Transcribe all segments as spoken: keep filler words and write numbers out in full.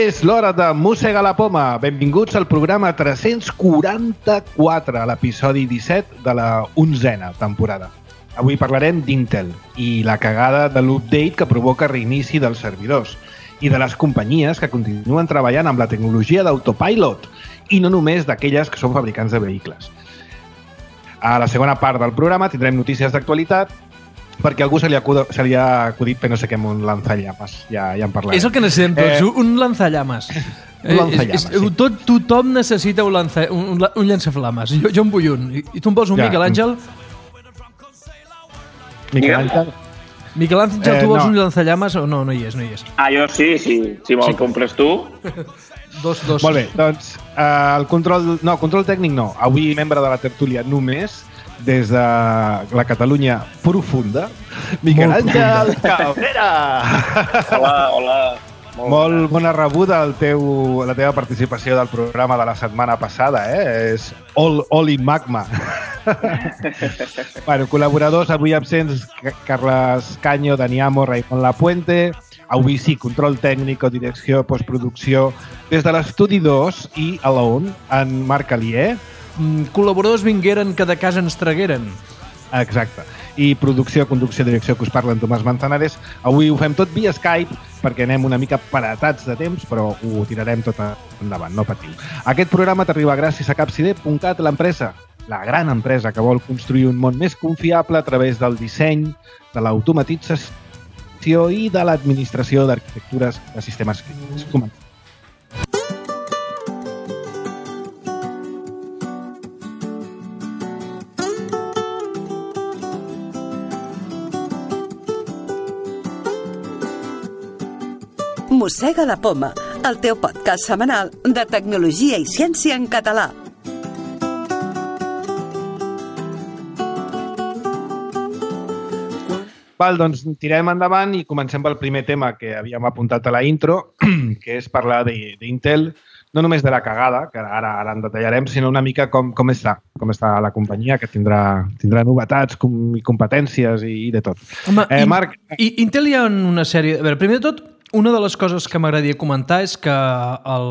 És l'hora de Mossega la Poma. Benvinguts al programa tres-cents quaranta-quatre, l'episodi disset de la onzena temporada. Avui parlarem d'Intel i la cagada de l'update que provoca reinici dels servidors i de les companyies que continuen treballant amb la tecnologia d'autopilot i no només d'aquelles que són fabricants de vehicles. A la segona part del programa tindrem notícies d'actualitat perquè a algú se li, acuda, se li ha acudit per no sé què amb un lanzallames. Ja, ja en parlarem. És el que necessitem tots, eh, un lanzallames. Un lanzallames, és, és, sí. Tot, tothom necessita un, lanza, un, un llançaflames. Jo, jo en vull un. I tu em vols un ja. Miquel Àngel? Miquel Àngel? Miquel Àngel, eh, tu vols no. un lanzallames o no? No hi és, no hi és. Ah, jo sí, sí. Si me'l sí. compres tu. dos, dos. Molt bé, doncs uh, el control... No, control tècnic no. Avui membre de la tertúlia només des de la Catalunya profunda, Miquel Àngel Cabrera. Hola, hola. Molt, Molt bona rebuda el teu, la teva participació del programa de la setmana passada, eh? És all, all in magma. Bueno, col·laboradors avui absents, Carles Caño, Dani Amo, Raimon Lapuente. Avui sí, control tècnic o direcció, postproducció des de l'estudi dos i Alone, en Marc Alier. Mm, col·laboradors vingueren que de casa ens tragueren. Exacte. I producció, conducció, direcció que us parla en Tomàs Manzanares. Avui ho fem tot via Skype perquè anem una mica paratats de temps, però ho tirarem tot endavant, no patiu. Aquest programa t'arriba gràcies a capcide punt cat, l'empresa, la gran empresa que vol construir un món més confiable a través del disseny, de l'automatització i de l'administració d'arquitectures de sistemes crítics. Comencem. Mossega la Poma, el teu podcast setmanal de tecnologia i ciència en català. Val, doncs tirem endavant i comencem pel primer tema que havíem apuntat a la intro, que és parlar d'Intel, no només de la cagada, que ara, ara en detallarem, sinó una mica com, com està, com està la companyia, que tindrà, tindrà novetats com, i competències i, i de tot. Home, eh, Marc... I, Intel hi ha una sèrie... A veure, primer de tot, una de les coses que m'agradaria comentar és que el,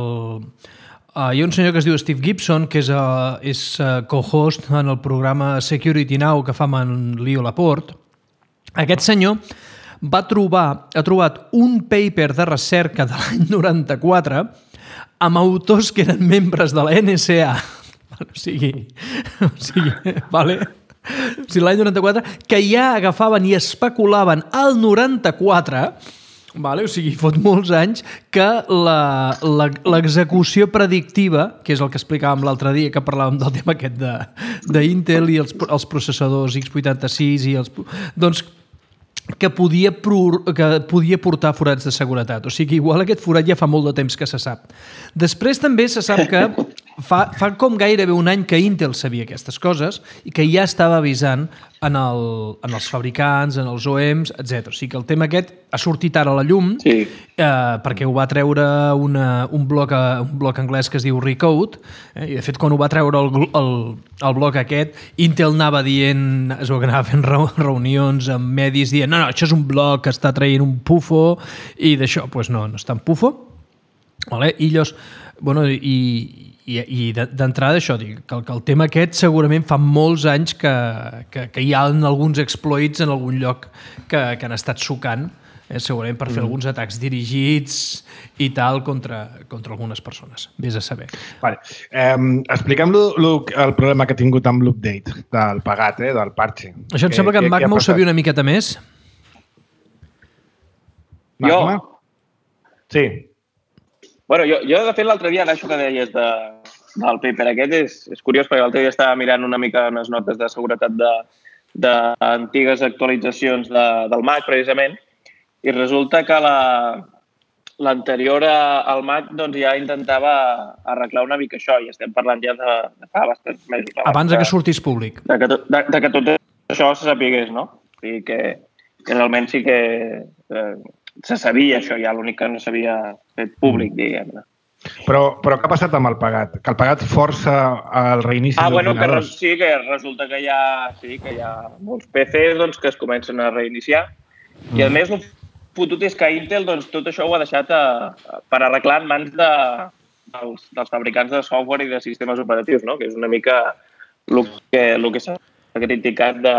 uh, hi ha un senyor que es diu Steve Gibson, que és, uh, és uh, co-host en el programa Security Now que fa amb en Leo Laporte. Aquest senyor va trobar, ha trobat un paper de recerca de l'any noranta-quatre amb autors que eren membres de la N S A. O sigui, o sigui vale? O sigui, l'any noranta-quatre, que ja agafaven i especulaven al noranta-quatre, vale? O sigui, fot molts anys que l'execució predictiva, que és el que explicàvem l'altre dia, que parlàvem del tema aquest d'Intel i els, els processadors ics vuitanta-sis i els... Doncs que podia, pro, que podia portar forats de seguretat. O sigui, igual aquest forat ja fa molt de temps que se sap. Després també se sap que fa, fa com gairebé un any que Intel sabia aquestes coses i que ja estava avisant en, el, en els fabricants, en els O E Ms, etcètera. O sigui que el tema aquest ha sortit ara a la llum, sí. eh, perquè ho va treure una, un, blog, un blog anglès que es diu Recode, eh, i de fet quan ho va treure el, el, el blog aquest, Intel anava dient, es va anar fent reunions amb medis dient no, no, això és un blog que està traient un pufo i d'això, doncs no, no està en pufo. Vale? I llavors, bueno, i, i, i d'entrada això, dic, que, que el tema aquest segurament fa molts anys que, que, que hi ha alguns exploits en algun lloc que, que han estat sucant, eh, segurament per fer mm. alguns atacs dirigits i tal contra, contra algunes persones. Vés a saber. Vale. Eh, expliquem lo, lo, el problema que ha tingut amb l'update del pagat, eh, del parche. Això em que, sembla que, que en Magma ho sabia una miqueta més. Magma? Jo? Sí. Bueno, jo, jo de fet l'altre dia, això que deies de, del paper aquest és, és curiós perquè l'altre dia estava mirant una mica unes notes de seguretat d'antigues actualitzacions de, del Mac precisament i resulta que la, l'anterior al Mac doncs, ja intentava arreglar una mica això i estem parlant ja de, de fa bastants mesos. Abans de que sortís públic. De que, de, de que tot això se sapigués, no? O sigui que, que realment sí que... Eh, se sabia això ja, l'únic que no s'havia fet públic, diguem-ne. Però, però què ha passat amb el pagat? Que el pagat força el reinici ah, bueno, que d'ordinadors? Sí, que resulta que hi ha, sí, que hi ha molts P Cs doncs, que es comencen a reiniciar mm. i a més fotut és que Intel doncs, tot això ho ha deixat a, a, per arreglar en mans de, dels, dels fabricants de software i de sistemes operatius, no? Que és una mica el que, el que s'ha criticat de,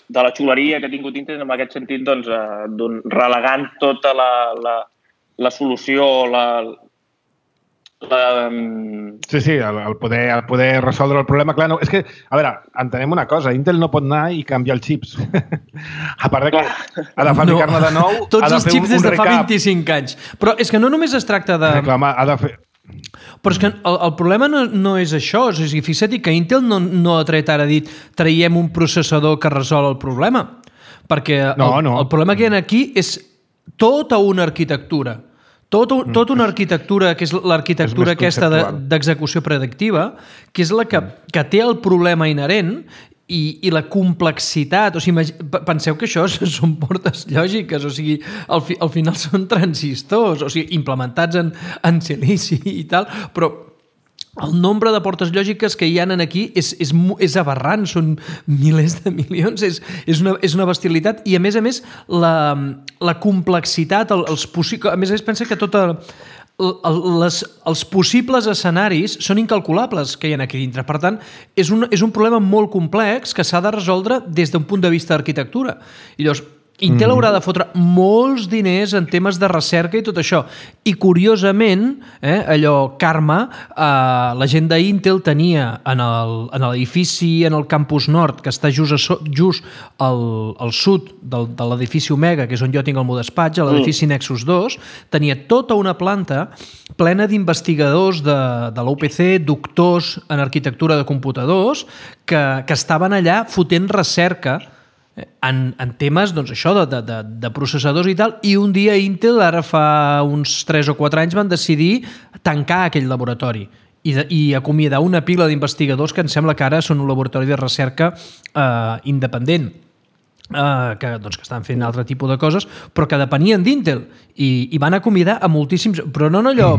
de la xuleria que ha tingut Intel en aquest sentit, doncs, eh, relegant tota la, la, la solució, la, la... Sí, sí, el, el, poder, el poder resoldre el problema. Clar, no, és que, a veure, entenem una cosa, Intel no pot anar i canviar els xips. A part de que ha de fabricar-ne de nou... Tots ha de els fer xips un, des un de fa recap. vint-i-cinc anys. Però és que no només es tracta de... Sí, clar, ha de fer... Però és que el, el problema no, no és això. O sigui, fixa't que Intel no, no ha tret ara dit traiem un processador que resol el problema. Perquè no, el, no. el problema que hi ha aquí és tota una arquitectura. Tota, tota una arquitectura, que és l'arquitectura aquesta d'execució de, predictiva, que és la que, que té el problema inherent i, i la complexitat. O sigui, penseu que això són portes lògiques, o sigui, al, fi, al final són transistors, o sigui, implementats en, en silici i tal, però el nombre de portes lògiques que hi ha aquí és, és, és aberrant, són milers de milions, és, és, una, és una bestialitat i a més a més la, la complexitat, el, els possibles... A més a més pensa que tota... Les, els possibles escenaris són incalculables que hi ha aquí dintre. Per tant, és un, és un problema molt complex que s'ha de resoldre des d'un punt de vista d'arquitectura. I llavors, Intel haurà de fotre molts diners en temes de recerca i tot això. I curiosament, eh, allò karma, eh, la gent d'Intel tenia en l'edifici, en el campus nord, que està just, a, just al, al sud del, de l'edifici Omega, que és on jo tinc el meu despatx, a l'edifici Nexus dos, tenia tota una planta plena d'investigadors de, de l'U P C, doctors en arquitectura de computadors, que, que estaven allà fotent recerca En, en temes, doncs això, de, de, de processadors i tal, i un dia Intel, ara fa uns tres o quatre anys, van decidir tancar aquell laboratori i, de, i acomiadar una pila d'investigadors que em sembla que ara són un laboratori de recerca eh, independent, eh, que, doncs, que estan fent altre tipus de coses, però que depenien d'Intel, i, i van acomiadar a moltíssims, però no en allò,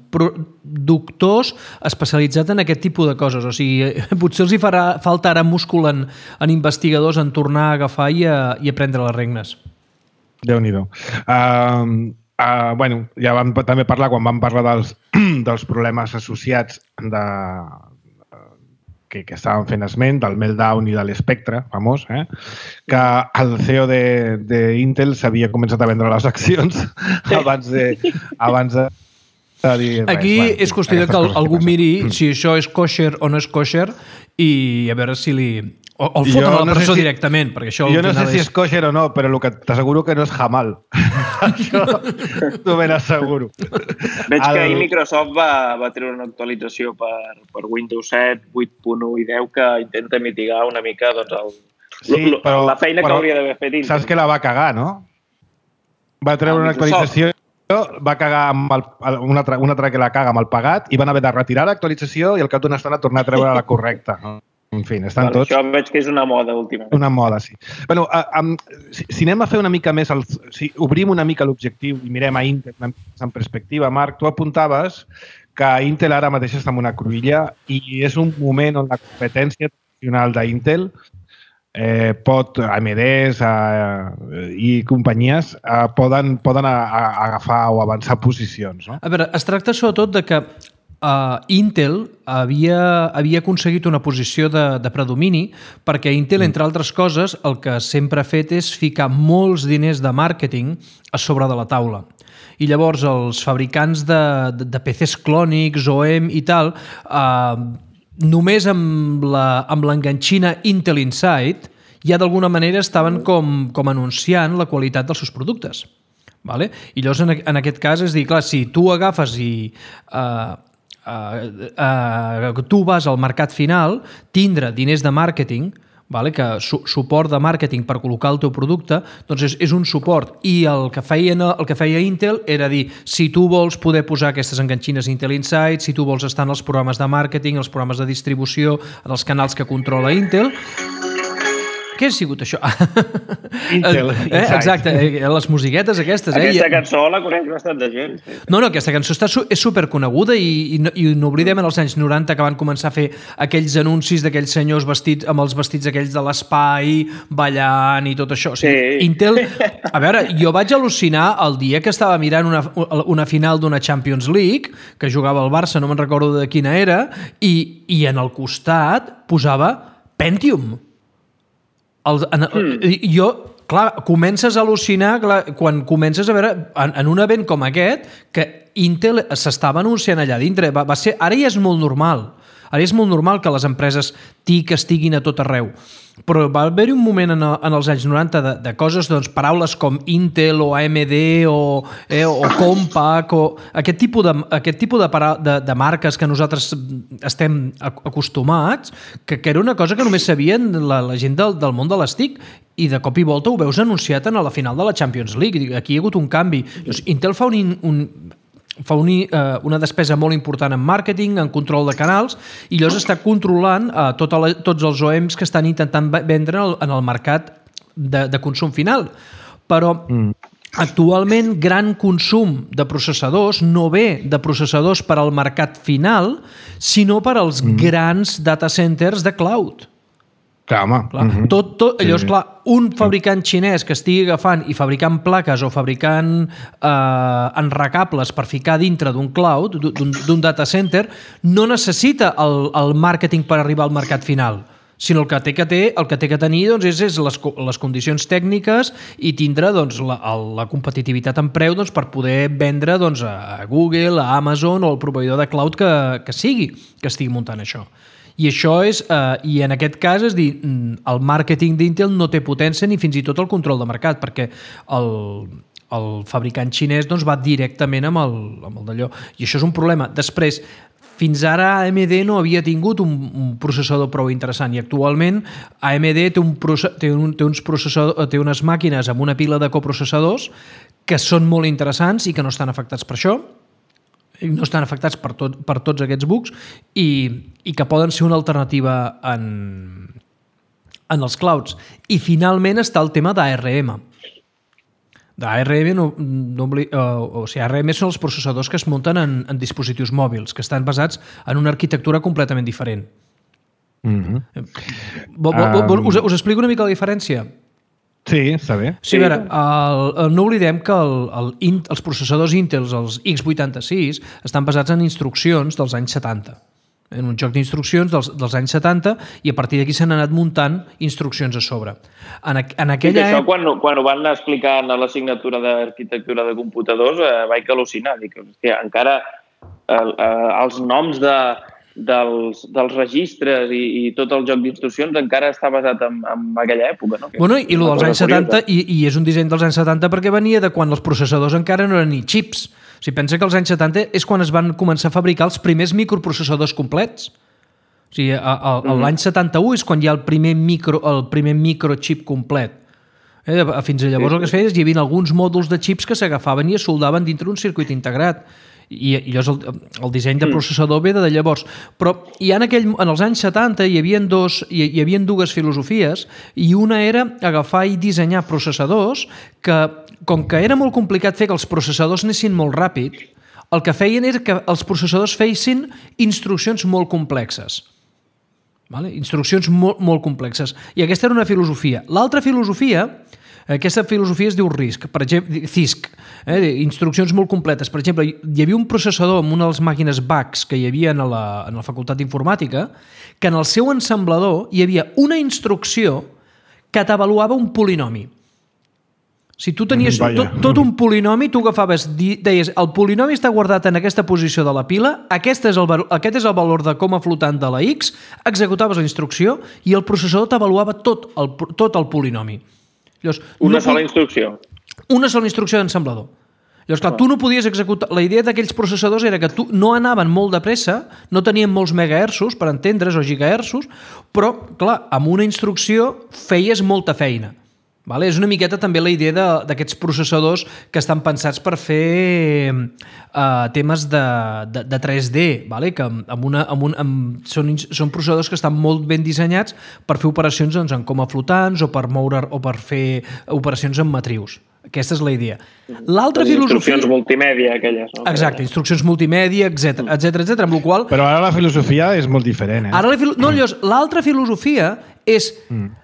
pro, doctors especialitzats en aquest tipus de coses. O sigui, potser els hi farà falta ara múscul en, en investigadors en tornar a agafar i a, i a prendre les regnes. Déu-n'hi-do. Uh, uh, bueno, ja vam també parlar, quan vam parlar dels, dels problemes associats de, que, que estàvem fent esment, del Meltdown i de l'Spectre, famós, eh? Que el C E O d'Intel s'havia començat a vendre les accions abans de... Abans de dir res. Aquí bueno, és qüestió que algú miri si això és kosher o no és kosher i a veure si li... O, o el foten a la no presó sé si, directament, perquè això... Jo no sé si és kosher o no, però el que t'asseguro que no és hamal. Això t'ho ben asseguro. Veig que ahir Microsoft va, va treure una actualització per, per Windows set, vuit punt u i deu que intenta mitigar una mica doncs, el, sí, però, la feina però, que hauria d'haver fet Intel. Saps que la va cagar, no? Va treure una actualització, va cagar amb el, una, altra, una altra que la caga amb el pagat i van haver de retirar l'actualització i al cap d'una estona tornar a treure la correcta. En fi, estan bueno, tots... Això veig que és una moda últimament. Una moda, sí. Bueno, a, a, si, si anem a fer una mica més, el, si obrim una mica l'objectiu i mirem a Intel en perspectiva, Marc, tu apuntaves que Intel ara mateix està en una cruïlla i és un moment on la competència tradicional d'Intel eh, pot, A M Ds eh, i companyies eh, poden, poden a, a agafar o avançar posicions. No? A veure, es tracta sobretot de que Uh, Intel havia, havia aconseguit una posició de, de predomini perquè Intel, entre altres coses, el que sempre ha fet és ficar molts diners de màrqueting a sobre de la taula. I llavors els fabricants de, de, de P Cs clònics, O E M i tal, uh, només amb l'enganxina Intel Inside ja d'alguna manera estaven com, com anunciant la qualitat dels seus productes. Vale? I llavors en, en aquest cas és dir, clar, si tu agafes i... Uh, Uh, uh, tu vas al mercat final, tindre diners de màrqueting, vale, que su suport de màrqueting per col·locar el teu producte, doncs és, és un suport. I el que, feien, el que feia Intel era dir, si tu vols poder posar aquestes enganxines Intel Inside, si tu vols estar en els programes de màrqueting, els programes de distribució, en els canals que controla Intel, què ha sigut això? Intel, eh, exacte, eh, les musiquetes aquestes. Aquesta eh? cançó la coneix bastant de gent. Sí. No, no, aquesta cançó està, és superconeguda i, i, no, i no oblidem en els anys noranta que van començar a fer aquells anuncis d'aquells senyors vestits amb els vestits aquells de l'espai, ballant i tot això. O sigui, Sí. Intel... A veure, jo vaig al·lucinar el dia que estava mirant una, una final d'una Champions League, que jugava el Barça, no me'n recordo de quina era, i, i en el costat posava Pentium. El, en, mm. Jo, clar, comences a al·lucinar clar, quan comences a veure, en, en un event com aquest, que Intel s'estava anunciant allà dintre. Va, va ser, ara ja és molt normal. Ara és molt normal que les empreses T I C estiguin a tot arreu. Però va haver-hi un moment en, en els anys noranta de, de coses, doncs, paraules com Intel o A M D o, eh, o Compaq o aquest tipus de, aquest tipus de, para, de, de marques que nosaltres estem acostumats, que, que era una cosa que només sabien la, la gent del, del món de les T I C i de cop i volta ho veus anunciat a la final de la Champions League. Aquí hi ha hagut un canvi. Llavors, Intel fa un... un fa un, uh, una despesa molt important en màrqueting, en control de canals, i llavors està controlant uh, tota la, tots els O E Ms que estan intentant vendre en el, en el mercat de, de consum final. Però mm. actualment gran consum de processadors no ve de processadors per al mercat final, sinó per als mm. grans data centers de cloud. Clar, home. Clar. Uh-huh. Tot, tot, llavors, sí. clar, un fabricant xinès que estigui agafant i fabricant plaques o fabricant eh, enrecables per ficar dintre d'un cloud, d'un data center, no necessita el, el màrqueting per arribar al mercat final, sinó el que té que, té, el que, té que tenir doncs, és, és les, les condicions tècniques i tindre doncs, la, la competitivitat en preu doncs, per poder vendre doncs, a Google, a Amazon o al proveïdor de cloud que, que sigui, que estigui muntant això. I això és, eh, i en aquest cas, és dir, el màrqueting d'Intel no té potència ni fins i tot el control de mercat, perquè el, el fabricant xinès doncs, va directament amb el, amb el d'allò. I això és un problema. Després, fins ara A M D no havia tingut un, un processador prou interessant i actualment A M D té, un, té, un, té, uns té unes màquines amb una pila de coprocessadors que són molt interessants i que no estan afectats per això, no estan afectats per, tot, per tots aquests bugs i, i que poden ser una alternativa en, en els clouds. I finalment està el tema d'A R M. D'A R M, no, no, uh, o sigui, A R M són els processadors que es munten en, en dispositius mòbils, que estan basats en una arquitectura completament diferent. Mm-hmm. Vol, vol, vol, us, us explico una mica la diferència? Sí, està bé. Sí, a veure, el, el, no oblidem que el, el, els processadors Intel, els X vuitanta-sis, estan basats en instruccions dels anys setanta. En un joc d'instruccions dels, dels anys setanta i a partir d'aquí s'han anat muntant instruccions a sobre. En, en aquella... I això, quan, quan ho van explicar a l'assignatura d'arquitectura de computadors, eh, vaig al·lucinar. Dic, hòstia, encara eh, eh, els noms de... Dels, dels registres i, i tot el joc d'instruccions encara està basat en, en aquella època. No? Bueno, i el dels anys setanta, i, i és un disseny dels anys setanta perquè venia de quan els processadors encara no eren ni xips. O sigui, pensa que els anys setanta és quan es van començar a fabricar els primers microprocessadors complets. O sigui, l'any setanta-u és quan hi ha el primer, micro, el primer microchip complet. Eh, fins a llavors el que es feia és hi havia alguns mòduls de xips que s'agafaven i es soldaven dintre d'un circuit integrat. I, i llavors el, el disseny de processador ve de llavors. Però hi ha en, aquell, en els anys setanta hi havia, dos, hi, hi havia dues filosofies i una era agafar i dissenyar processadors que, com que era molt complicat fer que els processadors anessin molt ràpid, el que feien era que els processadors feissin instruccions molt complexes. Vale? Instruccions molt, molt complexes. I aquesta era una filosofia. L'altra filosofia... Aquesta filosofia es diu RISC, per exemple, C I S C, eh, instruccions molt completes. Per exemple, hi havia un processador amb una de les màquines B A Cs que hi havia a la, en la facultat d'informàtica que en el seu ensamblador hi havia una instrucció que t'avaluava un polinomi. Si tu tenies mm, tot, tot un polinomi, tu agafaves, deies, el polinomi està guardat en aquesta posició de la pila, aquest és el, aquest és el valor de coma flotant de la X, executaves la instrucció i el processador t'avaluava tot el, tot el polinomi. Llavors, una no sola instrucció. Una sola instrucció d'ensamblador. Llavors, clar, tu no podies executar... La idea d'aquells processadors era que tu no anaven molt de pressa, no tenien molts megahertzos, per entendre's, o gigahertzos, però, clar, amb una instrucció feies molta feina. Vale? És una miqueta també la idea d'aquests processadors que estan pensats per fer uh, temes de, de, de tres D, vale? Que amb una, amb un, amb, són, són processadors que estan molt ben dissenyats per fer operacions doncs, en coma flotants o per moure o per fer operacions en matrius. Aquesta és la idea. L'altra filosofia... Instruccions multimèdia, aquelles. No? Exacte, instruccions multimèdia, etcètera, etcètera, etcètera, amb la qual... Però ara la filosofia és molt diferent, eh? Ara la filo... No, llavors, l'altra filosofia és... Mm.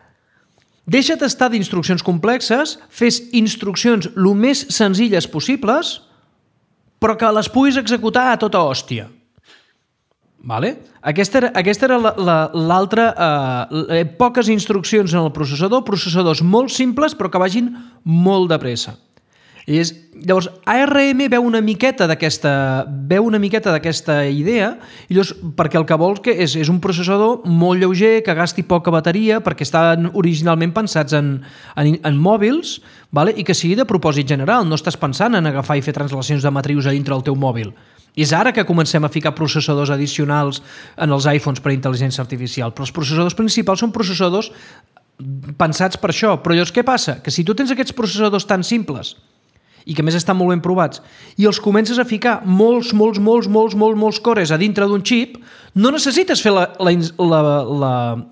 Deixa't estar d'instruccions complexes, fes instruccions el més senzilles possibles, però que les puguis executar a tota hòstia. Vale? Aquesta era, aquesta era l'altra... Eh, poques instruccions en el processador, processadors molt simples però que vagin molt de pressa. I és, llavors, A R M veu una miqueta d'aquesta veu una miqueta d'aquesta idea, i llavors, perquè el que vols que és, és un processador molt lleuger, que gasti poca bateria, perquè estan originalment pensats en, en, en mòbils, vale? I que sigui de propòsit general. No estàs pensant en agafar i fer translacions de matrius a dintre del teu mòbil. I és ara que comencem a ficar processadors addicionals en els iPhones per intel·ligència artificial, però els processadors principals són processadors pensats per això. Però llavors què passa? Que si tu tens aquests processadors tan simples i que més estan molt ben provats, i els comences a ficar molts, molts, molts, molts, molts, molts cores a dintre d'un xip, no necessites fer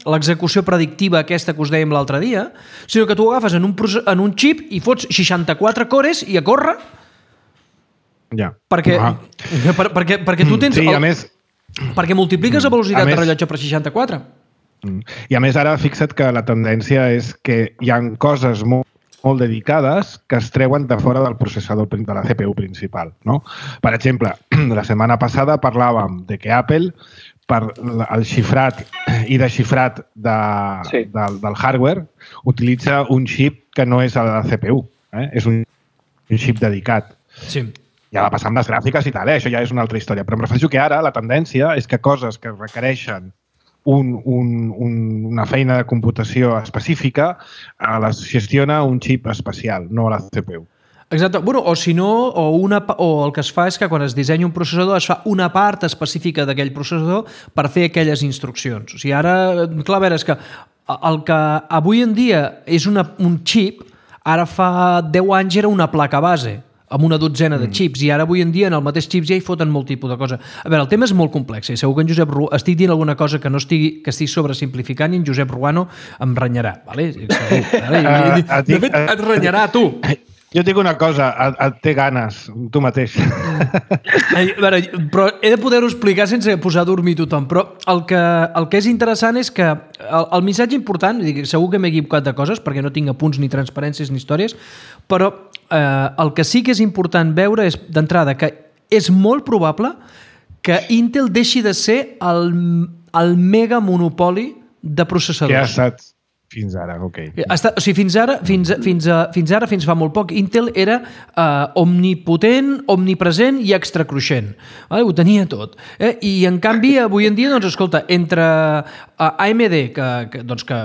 l'execució predictiva aquesta que us dèiem l'altre dia, sinó que tu agafes en un, en un xip i fots seixanta-quatre cores i a córrer. Ja. Perquè, ah. per, perquè, perquè tu tens... Sí, el, a més... Perquè multipliques la velocitat més, de rellotge per seixanta-quatre. I a més ara fixa't que la tendència és que hi ha coses molt molt dedicades que es treuen de fora del processador de la C P U principal. No? Per exemple, la setmana passada parlàvem de que Apple, per el xifrat i desxifrat de, sí. del, del hardware, utilitza un xip que no és el de la C P U. Eh? És un, un xip dedicat. Sí. Ja va passar amb les gràfiques i tal, eh? Això ja és una altra història. Però em refereixo que ara la tendència és que coses que requereixen Un, un, un, una feina de computació específica eh, les gestiona un xip especial, no la C P U. Exacte. Bueno, o si no, o, una, o el que es fa és que quan es dissenya un processador es fa una part específica d'aquell processador per fer aquelles instruccions. O sigui, ara, clar, a veure, és que el que avui en dia és una, un xip, ara fa deu anys era una placa base, amb una dotzena de xips, i ara avui en dia en el mateix xip ja hi foten molt tipus de cosa. A veure, el tema és molt complex, i segur que en Josep Ru... estic dient alguna cosa que no estigui, que estic sobresimplificant, i en Josep Ruano em renyarà, vale? Segur, vale? De fet, et renyarà tu. Jo et dic una cosa, et, et té ganes, tu mateix. A veure, però he de poder-ho explicar sense posar a dormir tothom, però el que, el que és interessant és que el, el missatge important, dic, segur que m'he equivocat de coses perquè no tinc apunts ni transparències ni històries, però eh, el que sí que és important veure és, d'entrada, que és molt probable que Intel deixi de ser el, el mega monopoli de processadors. Que ha estat fins ara, ok. Està, o sigui, fins ara, fins, fins, a, fins ara, fins fa molt poc, Intel era uh, omnipotent, omnipresent i extracruixent. Vale? Ho tenia tot. Eh? I, en canvi, avui en dia, doncs, escolta, entre uh, A M D, que, que, doncs, que,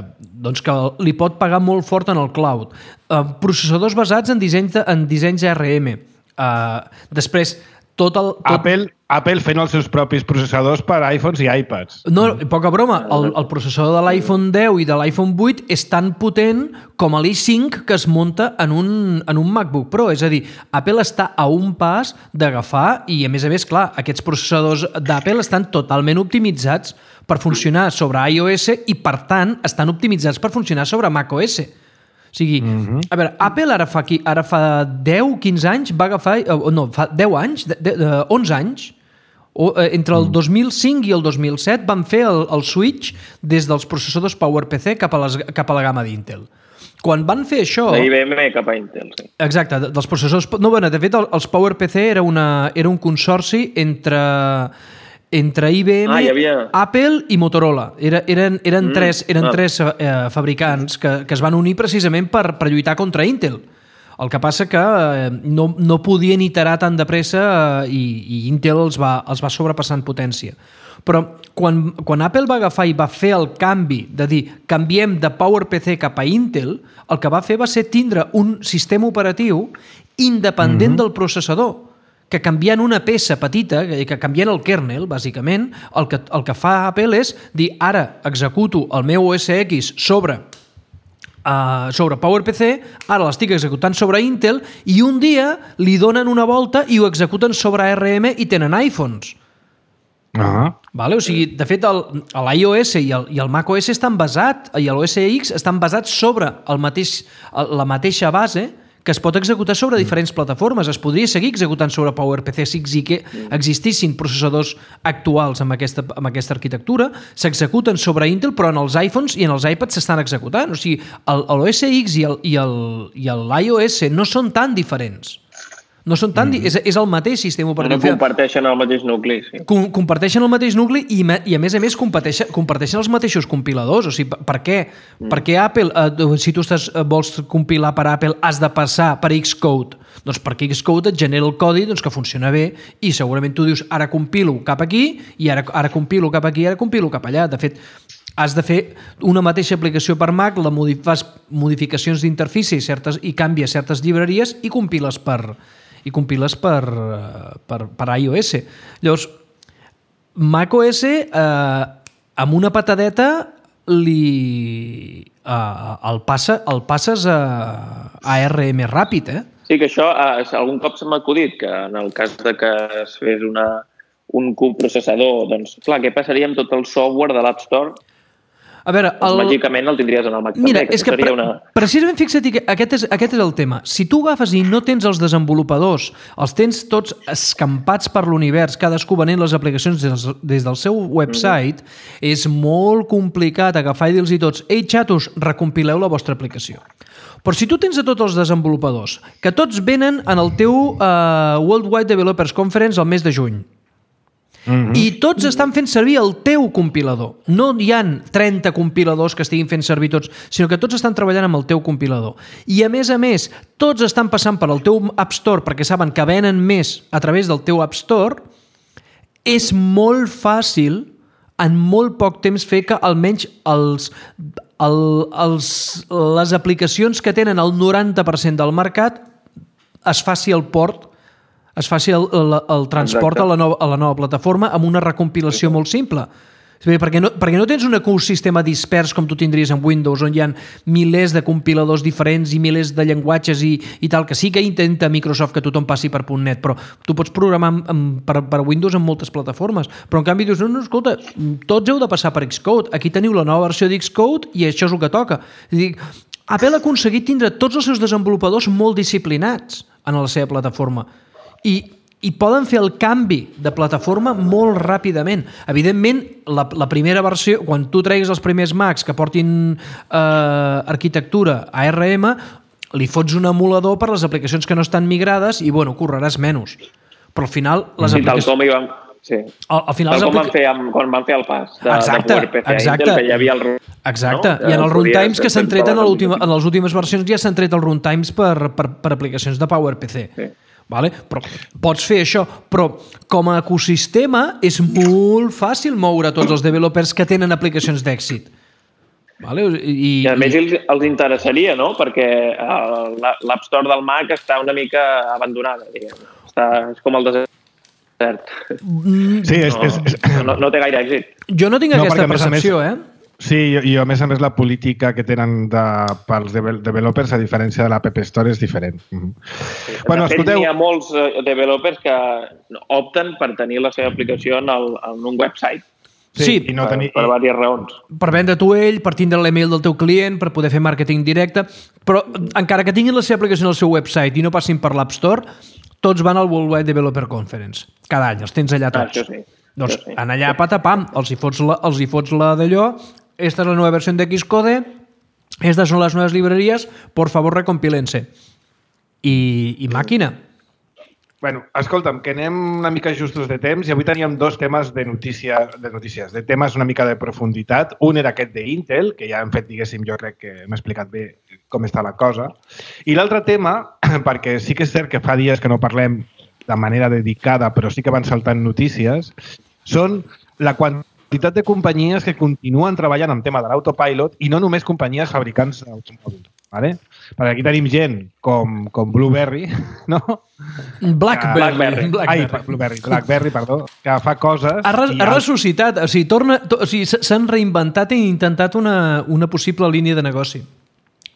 doncs, que li pot pagar molt fort en el cloud, uh, processadors basats en dissenys, de, en dissenys A R M, uh, després, tot el... Tot... Apple, Apple fent els seus propis processadors per iPhones i iPads. No, poca broma. El, el processador de l'iPhone deu i de l'iPhone vuit és tan potent com l'i cinc que es munta en un, en un MacBook Pro. És a dir, Apple està a un pas d'agafar i, a més a més, clar, aquests processadors d'Apple estan totalment optimitzats per funcionar sobre iOS i, per tant, estan optimitzats per funcionar sobre macOS. O sigui, mm-hmm. a veure, Apple ara fa, aquí, ara fa deu, quinze anys va agafar... No, fa deu anys, de, de, de, onze anys, o, eh, entre el dos mil cinc i el dos mil set van fer el, el switch des dels processadors PowerPC cap a, les, cap a la gamma d'Intel. Quan van fer això... De I B M cap a Intel, sí. Exacte, dels processors... No, bueno, de fet, els PowerPC era, una, era un consorci entre... entre I B M, ah, havia... Apple i Motorola. Era, eren eren mm, tres, eren ah. tres eh, fabricants que, que es van unir precisament per, per lluitar contra Intel. El que passa que eh, no, no podien iterar tan de pressa eh, i, i Intel els va, els va sobrepassar en potència. Però quan, quan Apple va agafar i va fer el canvi de dir canviem de PowerPC cap a Intel, el que va fer va ser tindre un sistema operatiu independent mm-hmm. del processador, que canviant una peça petita, que canviant el kernel, bàsicament, el que, el que fa Apple és dir, ara executo el meu O S X sobre Uh, sobre PowerPC, ara l'estic executant sobre Intel i un dia li donen una volta i ho executen sobre A R M i tenen iPhones. Ah. Vale? O sigui, de fet, l'iOS i, el, i el macOS estan basats, i l'O S X estan basats sobre el mateix, la mateixa base que es pot executar sobre diferents plataformes. Es podria seguir executant sobre PowerPC si existissin processadors actuals amb aquesta, amb aquesta arquitectura, s'executen sobre Intel, però en els iPhones i en els iPads s'estan executant. O sigui, l'O S X i l'iOS no són tan diferents. No són tan... Mm. És, és el mateix sistema operatiu. No comparteixen el mateix nucli, sí. Com, comparteixen el mateix nucli i, i a més a més comparteixen, comparteixen els mateixos compiladors. O sigui, per què? Mm. Per què Apple, eh, si tu estàs, vols compilar per Apple, has de passar per Xcode? Doncs perquè Xcode et genera el codi doncs, que funciona bé i segurament tu dius ara compilo cap aquí i ara, ara compilo cap aquí i ara compilo cap allà. De fet, has de fer una mateixa aplicació per Mac, la modif fas modificacions d'interfície i, certes, i canvies certes llibreries i compiles per... i compiles per, per, per iOS. Llavors, macOS, eh, amb una patadeta, li, eh, el, passa, el passes a, a A R M ràpid, eh? Sí, que això, eh, algun cop se m'ha acudit, que en el cas de que es fes una, un coprocessador, doncs, clar, què passaria amb tot el software de l'App Store? A veure, el... Màgicament el tindries en el Mac Mira, també, que és que seria pre una... precisament fixa't que aquest és, aquest és el tema. Si tu agafes i no tens els desenvolupadors, els tens tots escampats per l'univers, cadascú venent les aplicacions des, des del seu website, mm. és molt complicat agafar i dir-los tots «Ei, xatos, recompileu la vostra aplicació». Però si tu tens a tots els desenvolupadors, que tots venen en el teu uh, Worldwide Developers Conference al mes de juny, Mm-hmm. i tots estan fent servir el teu compilador. No hi ha trenta compiladors que estiguin fent servir tots, sinó que tots estan treballant amb el teu compilador. I a més a més, tots estan passant per el teu App Store perquè saben que venen més a través del teu App Store, és molt fàcil en molt poc temps fer que almenys els, el, els, les aplicacions que tenen el noranta per cent del mercat es faci el port es faci el, el, el transport a la, nova, a la nova plataforma amb una recompilació molt simple. Perquè no, perquè no tens un ecosistema dispers com tu tindries en Windows, on hi ha milers de compiladors diferents i milers de llenguatges i, i tal, que sí que intenta Microsoft que tothom passi per .net, però tu pots programar amb, amb, per, per Windows en moltes plataformes. Però en canvi dius, no, no, escolta, tots heu de passar per Xcode. Aquí teniu la nova versió d'Xcode i això és el que toca. És a dir, Apple ha aconseguit tindre tots els seus desenvolupadors molt disciplinats en la seva plataforma. I, i poden fer el canvi de plataforma molt ràpidament. Evidentment, la, la primera versió, quan tu treguis els primers Macs que portin eh, arquitectura A R M, li fots un emulador per les aplicacions que no estan migrades i, bueno, correràs menys. Però al final... Les sí, aplicacions... tal com hi vam... Sí. Al, al final tal com aplica... van fer amb, quan van fer el pas de, exacte, de PowerPC exacte. Intel, que hi havia el... Exacte, no? I en els runtimes que s'han tret en, en les últimes versions ja s'han tret els runtimes per, per, per aplicacions de PowerPC. Sí. Vale? Però pots fer això, però com a ecosistema és molt fàcil moure tots els developers que tenen aplicacions d'èxit. Vale? I, I a més els, els interessaria, no? Perquè l'App Store del Mac està una mica abandonada, diguem. Està, és com el desert. Sí, és, no, és, és... No, no té gaire èxit. Jo no tinc no, aquesta percepció, més... eh? Sí, i a més a més la política que tenen de, pels developers, a diferència de l'App Store, és diferent. Mm-hmm. Sí, bueno, de fet, escolteu... hi ha molts developers que opten per tenir la seva aplicació en, el, en un website. Sí, sí i no per, tenir... per diverses raons. Per vendre tu ell, per tindre l'email del teu client, per poder fer màrqueting directe, però encara que tinguin la seva aplicació en el seu website i no passin per l'App Store, tots van al Worldwide Developer Conference. Cada any, els tens allà tots. Ah, això sí. Doncs sí. En allà, patapam, els hi fots la, els hi fots la d'allò. Esta es la nueva versión de Xcode, estas son las nuevas librerías, por favor recompílense. I, i màquina. Bueno, escolta'm, que anem una mica justos de temps i avui teníem dos temes de, notícia, de notícies, de temes una mica de profunditat. Un era aquest d'Intel, que ja hem fet, diguéssim, jo crec que m'he explicat bé com està la cosa. I l'altre tema, perquè sí que és cert que fa dies que no parlem de manera dedicada, però sí que van saltant notícies, són la quantitat quantitat de companyies que continuen treballant en tema de l'autopilot i no només companyies fabricants d'automòbils. Vale? Perquè aquí tenim gent com, com Blueberry, no? Blackberry. Blackberry. Ai, Blueberry, Blackberry, perdó, que fa coses... Ha, res, ha ressuscitat, o sigui, torna, to, o sigui, s'han reinventat i intentat una, una possible línia de negoci.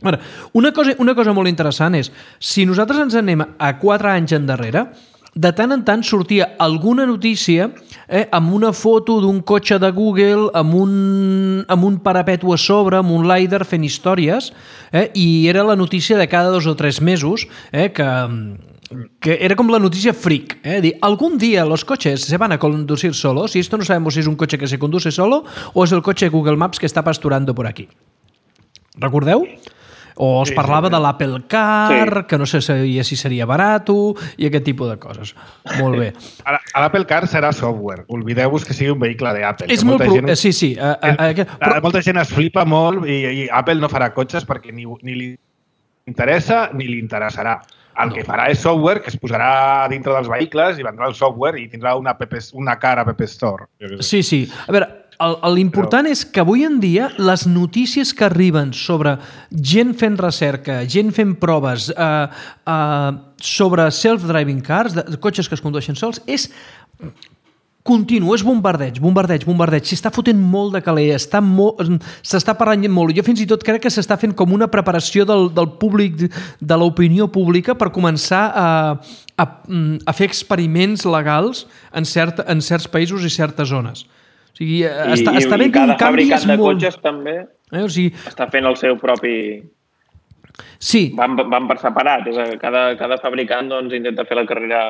Bueno, una cosa, una cosa molt interessant és, si nosaltres ens anem a quatre anys endarrere, de tant en tant sortia alguna notícia eh, amb una foto d'un cotxe de Google, amb un, amb un parapeto a sobre, amb un LiDAR fent històries, eh, i era la notícia de cada dos o tres mesos, eh, que, que era com la notícia freak. Eh, dir, algún día los coches se van a conducir solos y esto no sabemos si es un coche que se conduce solo o es el coche de Google Maps que está pasturando por aquí. Recordeu? O es sí, parlava sí, de l'Apple Car, sí. que no sé si seria barat i aquest tipus de coses. Molt bé. L'Apple Car serà software. Oblideu-vos que sigui un vehicle d'Apple. És molt... Pro... Gent, sí, sí. Uh, uh, uh, però... Molta gent es flipa molt i, i Apple no farà cotxes perquè ni, ni li interessa ni li interessarà. El no. que farà és software que es posarà dintre dels vehicles i vendrà el software i tindrà una, app, una car App Store. Sí, sí. A veure, l'important Però... és que avui en dia les notícies que arriben sobre gent fent recerca, gent fent proves eh, eh, sobre self-driving cars, de, de cotxes que es condueixen sols, és continu, és bombardeig, bombardeig, bombardeig. S'està fotent molt de caler, s'està parlant molt. Jo fins i tot crec que s'està fent com una preparació del, del públic, de l'opinió pública per començar a, a, a fer experiments legals en, cert, en certs països i certes zones. O sigui, està, I, està i cada fabricant de molt... cotxes també eh, o sigui... està fent el seu propi... Sí. Van, van per separat. És a, cada, cada fabricant doncs, intenta fer la carrera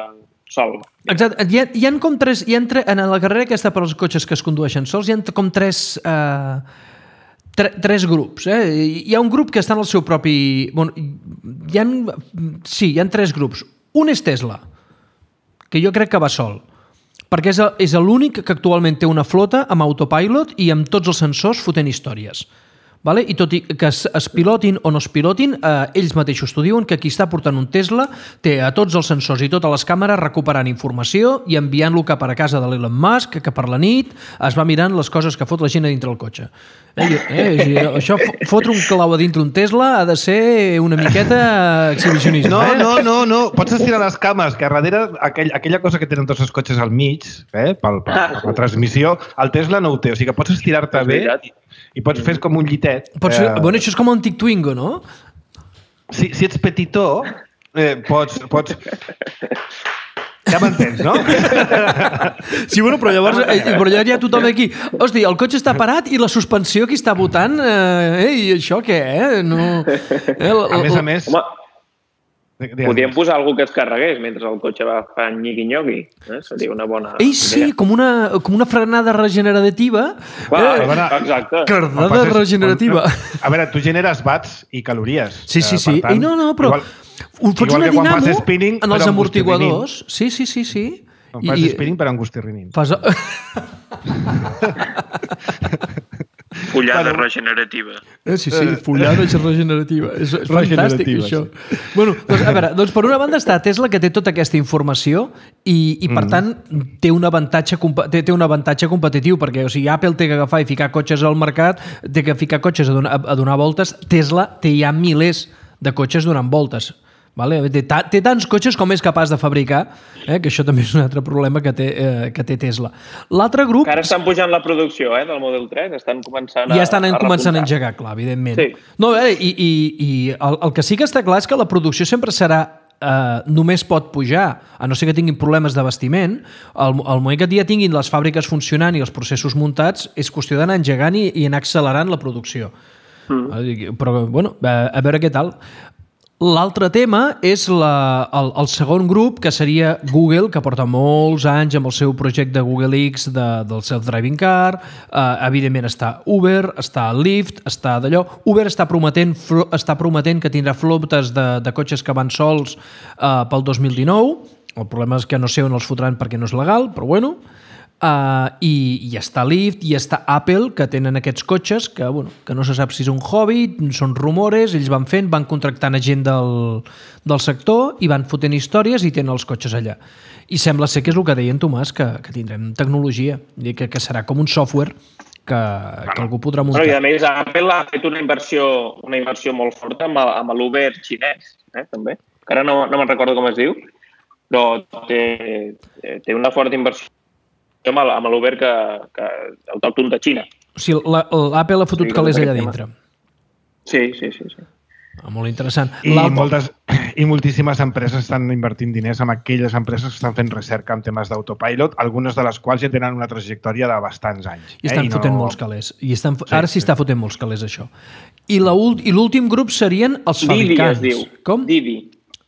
sol. Exacte. Hi ha, hi ha com tres... Hi ha tre... En la carrera aquesta per als cotxes que es condueixen sols hi ha com tres... Eh, tre, tres grups. Eh? Hi ha un grup que està en el seu propi... Bueno, hi ha... Sí, hi ha tres grups. Un és Tesla, que jo crec que va sol, perquè és, és l'únic que actualment té una flota amb autopilot i amb tots els sensors fotent històries. Vale? I tot i que es, es pilotin o no es pilotin, eh, ells mateixos t'ho diuen, que qui està portant un Tesla té a tots els sensors i totes les càmeres recuperant informació i enviant-lo cap a casa de l'Elon Musk, que per la nit es va mirant les coses que fot la gent a dintre el cotxe. Eh, eh, això, fotre un clau a dintre un Tesla ha de ser una miqueta exhibicionista. No, eh? no, no, no. Pots estirar les cames, que a darrere aquell, aquella cosa que tenen tots els cotxes al mig, eh, pel, per, per la transmissió, el Tesla no ho té. O sigui que pots estirar-te bé i, i pots fer com un llitet. Pots fer, eh... Bueno, això és com un tic Twingo, no? Si, si ets petitó, eh, pots... pots... Ja m'entens, no? Sí, bueno, però llavors eh, però ja hi ha tothom aquí. Hosti, el cotxe està parat i la suspensió qui està votant? Eh, i això què, eh? No... Eh, l, a més a més... Home, podríem posar algú que es carregués mentre el cotxe va fent nyigui-nyogui. Eh? Seria una bona... Ei, sí, com una, com una frenada regenerativa. Clar, eh? Veure, exacte. Carnada regenerativa. A veure, tu generes watts i calories. Sí, sí, sí. Tant, Ei, no, no, però... Igual... Fots una dinamo spinning, en els amortiguadors. Sí, sí, sí, sí. Quan fas I... spinning per angustirrinin. Fas... Fullada bueno. regenerativa. Eh, sí, sí, fullada regenerativa. És, és fantàstic, això. Sí. Bueno, doncs, a veure, doncs per una banda està Tesla, que té tota aquesta informació i, i per mm. tant, té un avantatge, té, té un avantatge competitiu, perquè o sigui, Apple té que agafar i ficar cotxes al mercat, té que ficar cotxes a donar, a donar voltes. Tesla té ja milers de cotxes donant voltes. Vale? Té, ta, té tants cotxes com és capaç de fabricar, eh? Que això també és un altre problema que té, eh, que té Tesla. L'altre grup... Que ara estan pujant la producció eh, del Model tres, estan començant a Ja estan a començant a engegar, clar, evidentment. Sí. No, eh, I i, i el, el que sí que està clar és que la producció sempre serà eh, només pot pujar, a no ser que tinguin problemes d'abastiment. Al, al moment que ja tinguin les fàbriques funcionant i els processos muntats, és qüestió d'anar engegant i, i anar accelerant la producció. Mm. Però, bueno, a, a veure què tal. L'altre tema és la, el, el segon grup, que seria Google, que porta molts anys amb el seu projecte Google X de, del self-driving car. Uh, evidentment està Uber, està Lyft, està d'allò. Uber està prometent, està prometent que tindrà flotes de, de cotxes que van sols uh, pel dos mil dinou. El problema és que no sé on els fotran perquè no és legal, però bueno... Uh, i, i està Lyft i està Apple, que tenen aquests cotxes que, bueno, que no se sap si és un hobby, són rumores, ells van fent, van contractant a gent del, del sector i van fotent històries i tenen els cotxes allà. I sembla ser que és el que deia en Tomàs, que, que tindrem tecnologia, que, que serà com un software que, que algú podrà muntar. Bueno, I a més Apple ha fet una inversió, una inversió molt forta amb, amb l'Uber xinès, eh, també, que ara no, no me'n recordo com es diu, però té, té una forta inversió amb l'Uber que, que autòcton de Xina. O sigui, l'Apple ha fotut sí, calés allà dintre. Sí, sí, sí. sí. Molt interessant. I, moltes, I moltíssimes empreses estan invertint diners en aquelles empreses que estan fent recerca en temes d'autopilot, algunes de les quals ja tenen una trajectòria de bastants anys. I estan eh? I fotent no... molts calés. I estan... Sí, Ara sí, sí està fotent molts calés, això. I l'últim grup serien els fabricants. Didi es diu. Com? Didi.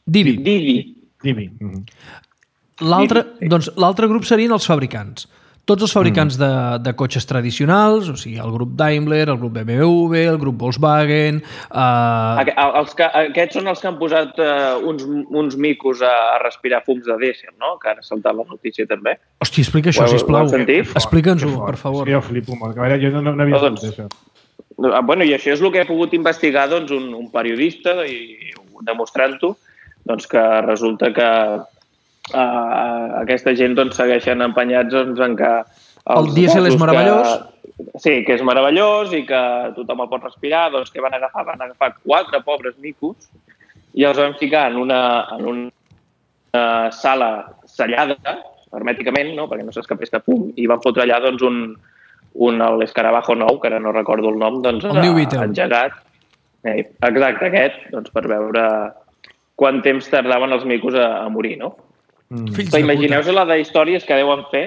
Didi. Didi. Didi. Mm-hmm. L'altre doncs, l'altre grup serien els fabricants. Tots els fabricants mm. de, de cotxes tradicionals, o sigui, el grup Daimler, el grup B M W, el grup Volkswagen... Uh... Els que, aquests són els que han posat uh, uns, uns micos a, a respirar fums de dièsel, no? Que ara ha saltat la notícia també. Hòstia, explica això, sisplau. Explica'ns-ho, per favor. Sí, jo flipo molt. A veure, jo no, no havia no, doncs, això. Bueno, i això és el que he pogut investigar doncs, un, un periodista i demostrant-ho, doncs, que resulta que Uh, aquesta gent doncs, segueixen empenyats doncs, en que... El dièsel és meravellós? Que, sí, que és meravellós i que tothom el pot respirar, doncs que van agafar, van agafar quatre pobres micos i els van ficar en una, en una sala sellada, hermèticament, no? Perquè no s'escapés cap fum, i van fotre allà doncs, un, un l'escarabajo nou, que ara no recordo el nom, doncs, el New Beetle. Engegat. Eh, exacte, aquest, doncs, per veure quant temps tardaven els micos a, a morir, no? Mm. Però imagineu-vos la d'històries que deuen fer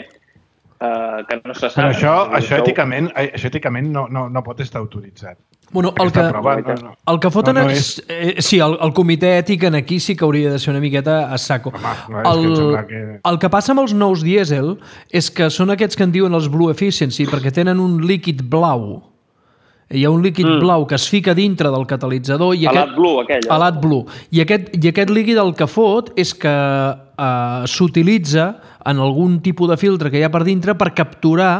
uh, que no se sap. Però això, això èticament, això èticament no, no, no pot estar autoritzat. Bueno, el que, prova, no, no. el que foten... No, no és... Eh, sí, el, el comitè ètic en aquí sí que hauria de ser una miqueta a saco. Home, no, el, que que... el que passa amb els nous dièsel és que són aquests que en diuen els Blue Efficiency perquè tenen un líquid blau. Hi ha un líquid mm. blau que es fica dintre del catalitzador i aquest... Blue, aquell. Eh? Alat Blue. I aquest, I aquest líquid el que fot és que eh, s'utilitza en algun tipus de filtre que hi ha per dintre per capturar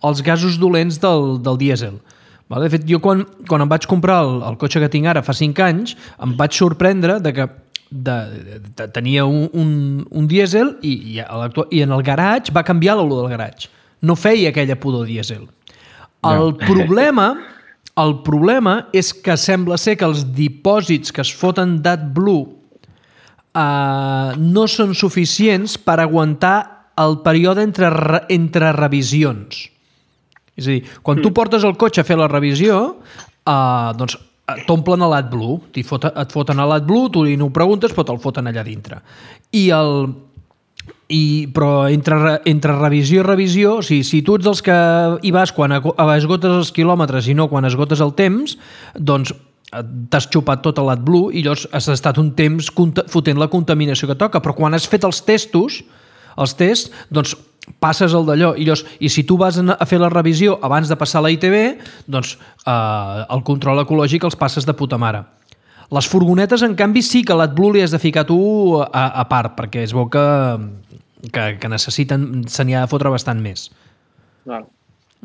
els gasos dolents del, del dièsel. Vale? De fet, jo quan, quan em vaig comprar el, el cotxe que tinc ara fa cinc anys, em vaig sorprendre de que de, de, de, tenia un, un, un dièsel i, i, i en el garatge va canviar l'olor del garatge. No feia aquella pudor dièsel. El no. problema... El problema és que sembla ser que els dipòsits que es foten d'AdBlue eh, no són suficients per aguantar el període entre, entre revisions. És a dir, quan tu portes el cotxe a fer la revisió, eh, doncs t'omplen a l'AdBlue, et foten a l'AdBlue, tu no ho preguntes, però te'l foten allà dintre. I el... I, però entre, entre revisió i revisió, o sigui, si tu ets dels que hi vas quan esgotes els quilòmetres i no quan esgotes el temps, doncs t'has xupat tot l'AdBlue i llavors has estat un temps fotent la contaminació que toca, però quan has fet els testos, els tests, doncs passes el d'allò i, llavors, i si tu vas a fer la revisió abans de passar la I T B, doncs eh, el control ecològic els passes de puta mare. Les furgonetes, en canvi, sí que l'AdBlue li has de ficar tu a, a part, perquè es veu que, que, que necessiten, se n'hi ha de fotre bastant més. Val.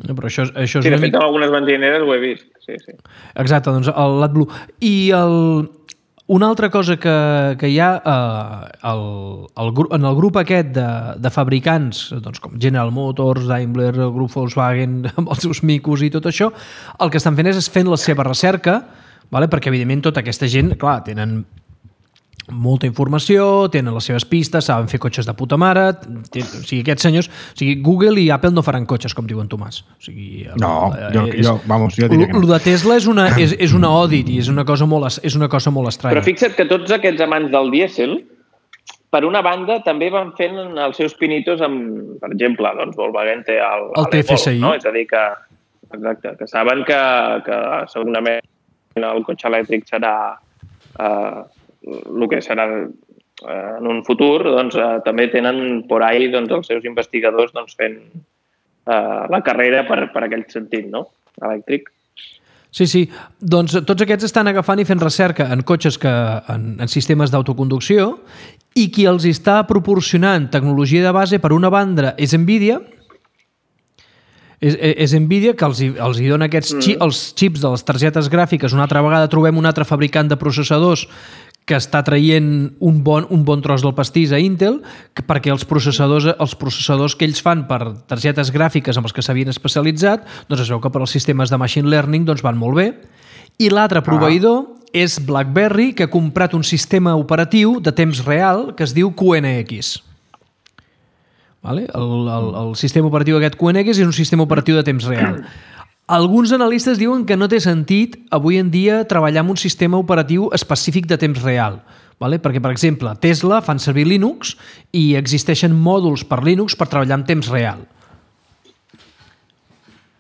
Però això, això és sí, de una fet, mica... en algunes benzineres ho he vist. Sí, sí. Exacte, doncs l'AdBlue. I el... una altra cosa que, que hi ha eh, el, el, en el grup aquest de, de fabricants, doncs, com General Motors, Daimler, el grup Volkswagen, amb els seus micos i tot això, el que estan fent és fent la seva recerca, vale? Perquè evidentment tota aquesta gent, clar, tenen molta informació, tenen les seves pistes, saben fer cotxes de puta mare, ten, o sigui, aquests senyors, o sigui, Google i Apple no faran cotxes, com diuen Tomàs. O sigui, no, eh, jo, és, jo, vamos, jo diria que no. Lo de Tesla és una, és, és una audit i és una cosa molt, és una cosa molt estranya. Però fixa't que tots aquests amants del dièsel, per una banda, també van fent els seus pinitos amb, per exemple, doncs Volkswagen té el, el T F S I. No? És a dir, que, exacte, que saben que, que segurament el cotxe elèctric serà eh, el que serà eh, en un futur, doncs eh, també tenen por ahí doncs, els seus investigadors doncs, fent eh, la carrera per, per aquell sentit, no? Elèctric. Sí, sí. Doncs tots aquests estan agafant i fent recerca en cotxes que, en, en sistemes d'autoconducció i qui els està proporcionant tecnologia de base, per una banda, és Nvidia. És, és Nvidia que els, els hi dona aquests xip, els xips de les targetes gràfiques. Una altra vegada trobem un altre fabricant de processadors que està traient un bon, un bon tros del pastís a Intel, que, perquè els processadors, els processadors que ells fan per targetes gràfiques amb els que s'havien especialitzat, doncs es veu que per als sistemes de machine learning doncs van molt bé. I l'altre proveïdor ah. és BlackBerry, que ha comprat un sistema operatiu de temps real que es diu Q N X. Vale? El, el, el sistema operatiu aquest Q N X és un sistema operatiu de temps real. Alguns analistes diuen que no té sentit avui en dia treballar amb un sistema operatiu específic de temps real. Vale? Perquè, per exemple, Tesla fan servir Linux i existeixen mòduls per Linux per treballar en temps real.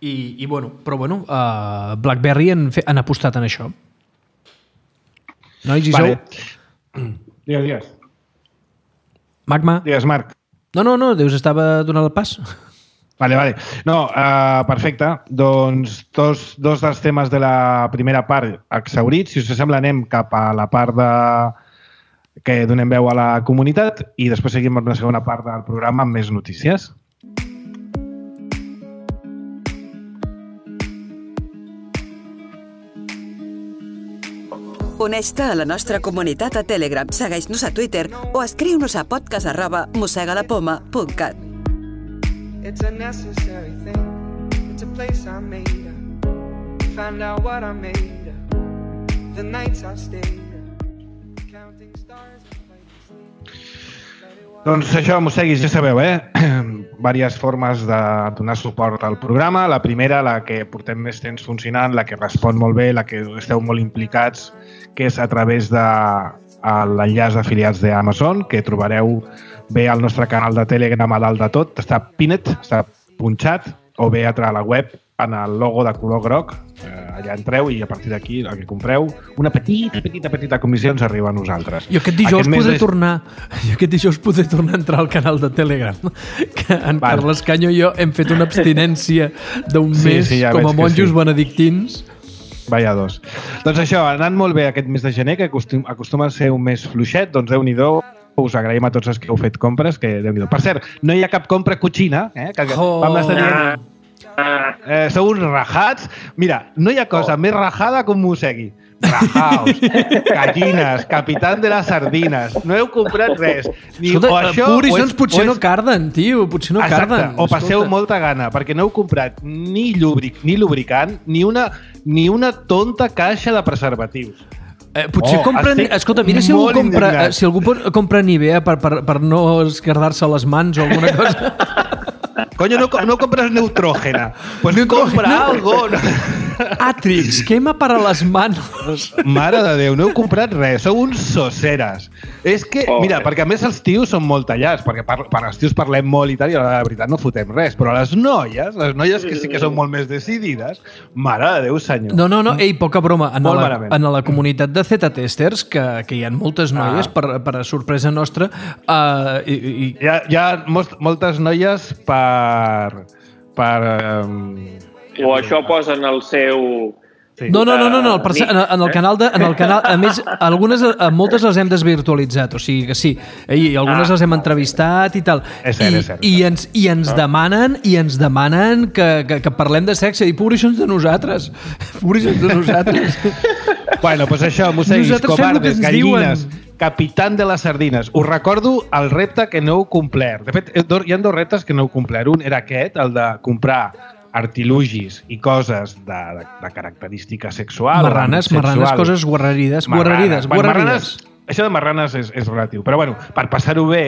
I, i bueno, però bueno, uh, BlackBerry han, fe, han apostat en això. Nois, i vale. sou? Digues, digues. Magma? Digues, Marc. No, no, no, Deus estava donant el pas. Vale, vale. No, uh, perfecte. Doncs dos, dos dels temes de la primera part exhaurits. Si us sembla, anem cap a la part de... que donem veu a la comunitat i després seguim amb una segona part del programa amb més notícies. Uneix-te a la nostra comunitat a Telegram, segueix-nos a Twitter o escriu-nos a podcast arroba mossegalapoma punt cat. It's a necessary thing. It's a place I made up. Find out what I made up. The nights I stayed up. Counting stars and playing. Doncs això, mosseguis, ja sabeu, eh? Vàries formes de donar suport al programa. La primera, la que portem més temps funcionant, la que respon molt bé, la que esteu molt implicats, que és a través de l'enllaç d'afiliats d'Amazon, que trobareu bé al nostre canal de Telegram a dalt de tot. Està pinned, està punxat, o bé a través de la web en el logo de color groc. Eh, allà entreu i a partir d'aquí el que compreu, una petita, petita, petita comissió ens arriba a nosaltres. Jo aquest dijous aquest podré de... tornar jo aquest dijous podré tornar a entrar al canal de Telegram, que en vale. Carles Canyo i jo hem fet una abstinència d'un Sí, mes sí, ja com a veig que monjos sí. benedictins. Vaya dos. Doncs això, ha anat molt bé aquest mes de gener, que acostum, acostuma a ser un mes fluixet, doncs Déu-n'hi-do, us agraïm a tots els que heu fet compres, que Déu-n'hi-do. Per cert, no hi ha cap compra cotxina, eh? Que Oh. vam estar dient... Eh, sou uns rajats. Mira, no hi ha cosa oh. més rajada com mossegui. Rajaos, gallines, capitán de les sardines. No heu comprat res. Ni, Escolta, o això, Purisons o potser o no carden, tio, potser no Exacte, carden. o passeu Escolta. molta gana, perquè no heu comprat ni lubric, ni lubricant, ni una, ni una tonta caixa de preservatius. Eh, potser Oh, compren... estic Escolta, mira si algú, molt compra, indignat. si algú pot- compra Nivea per, per, per no esquerdar-se les mans o alguna cosa. Coño, no, no compras neutrógena. Pues compra algo. No. Atrix, quema para les manos. Mare de Déu, no heu comprat res. Sou uns soceres. És que, Oh, mira, eh. perquè a més els tios són molt tallats, perquè per, per els tios parlem molt i tal, i a la veritat no fotem res. Però les noies, les noies que sí que són molt més decidides, mare de Déu, senyor. No, no, no, ei, poca broma. En Molt la, malament. en la comunitat de Z-testers, que, que hi ha moltes noies, Ah. per, per a sorpresa nostra, uh, i, i, Hi ha, hi ha most, moltes noies per... per um... O això posen el seu... Sí. No, no, no, no, no el perce- Nick, en, en el canal de, en el canal, a més, algunes, a moltes les hem desvirtualitzat, o sigui que sí, i algunes Ah. les hem entrevistat i tal. És cert, I, és cert. I ens, i ens demanen, i ens demanen que, que, que parlem de sexe, i pobrissons de nosaltres, pobrissons de nosaltres. Bueno, doncs això, mosseguis, Nosaltres fem el que covardes, ens gallines, diuen. capitán de les sardines. Us recordo el repte que no heu complert. De fet, hi ha dos reptes que no heu complert. Un era aquest, el de comprar artilugis i coses de, de, de característica sexual. Marranes, sexual. marranes, coses guarrerides, guarrerides, Bueno, guarrerides. marranes, això de marranes és, és relatiu. Però bueno, per passar-ho bé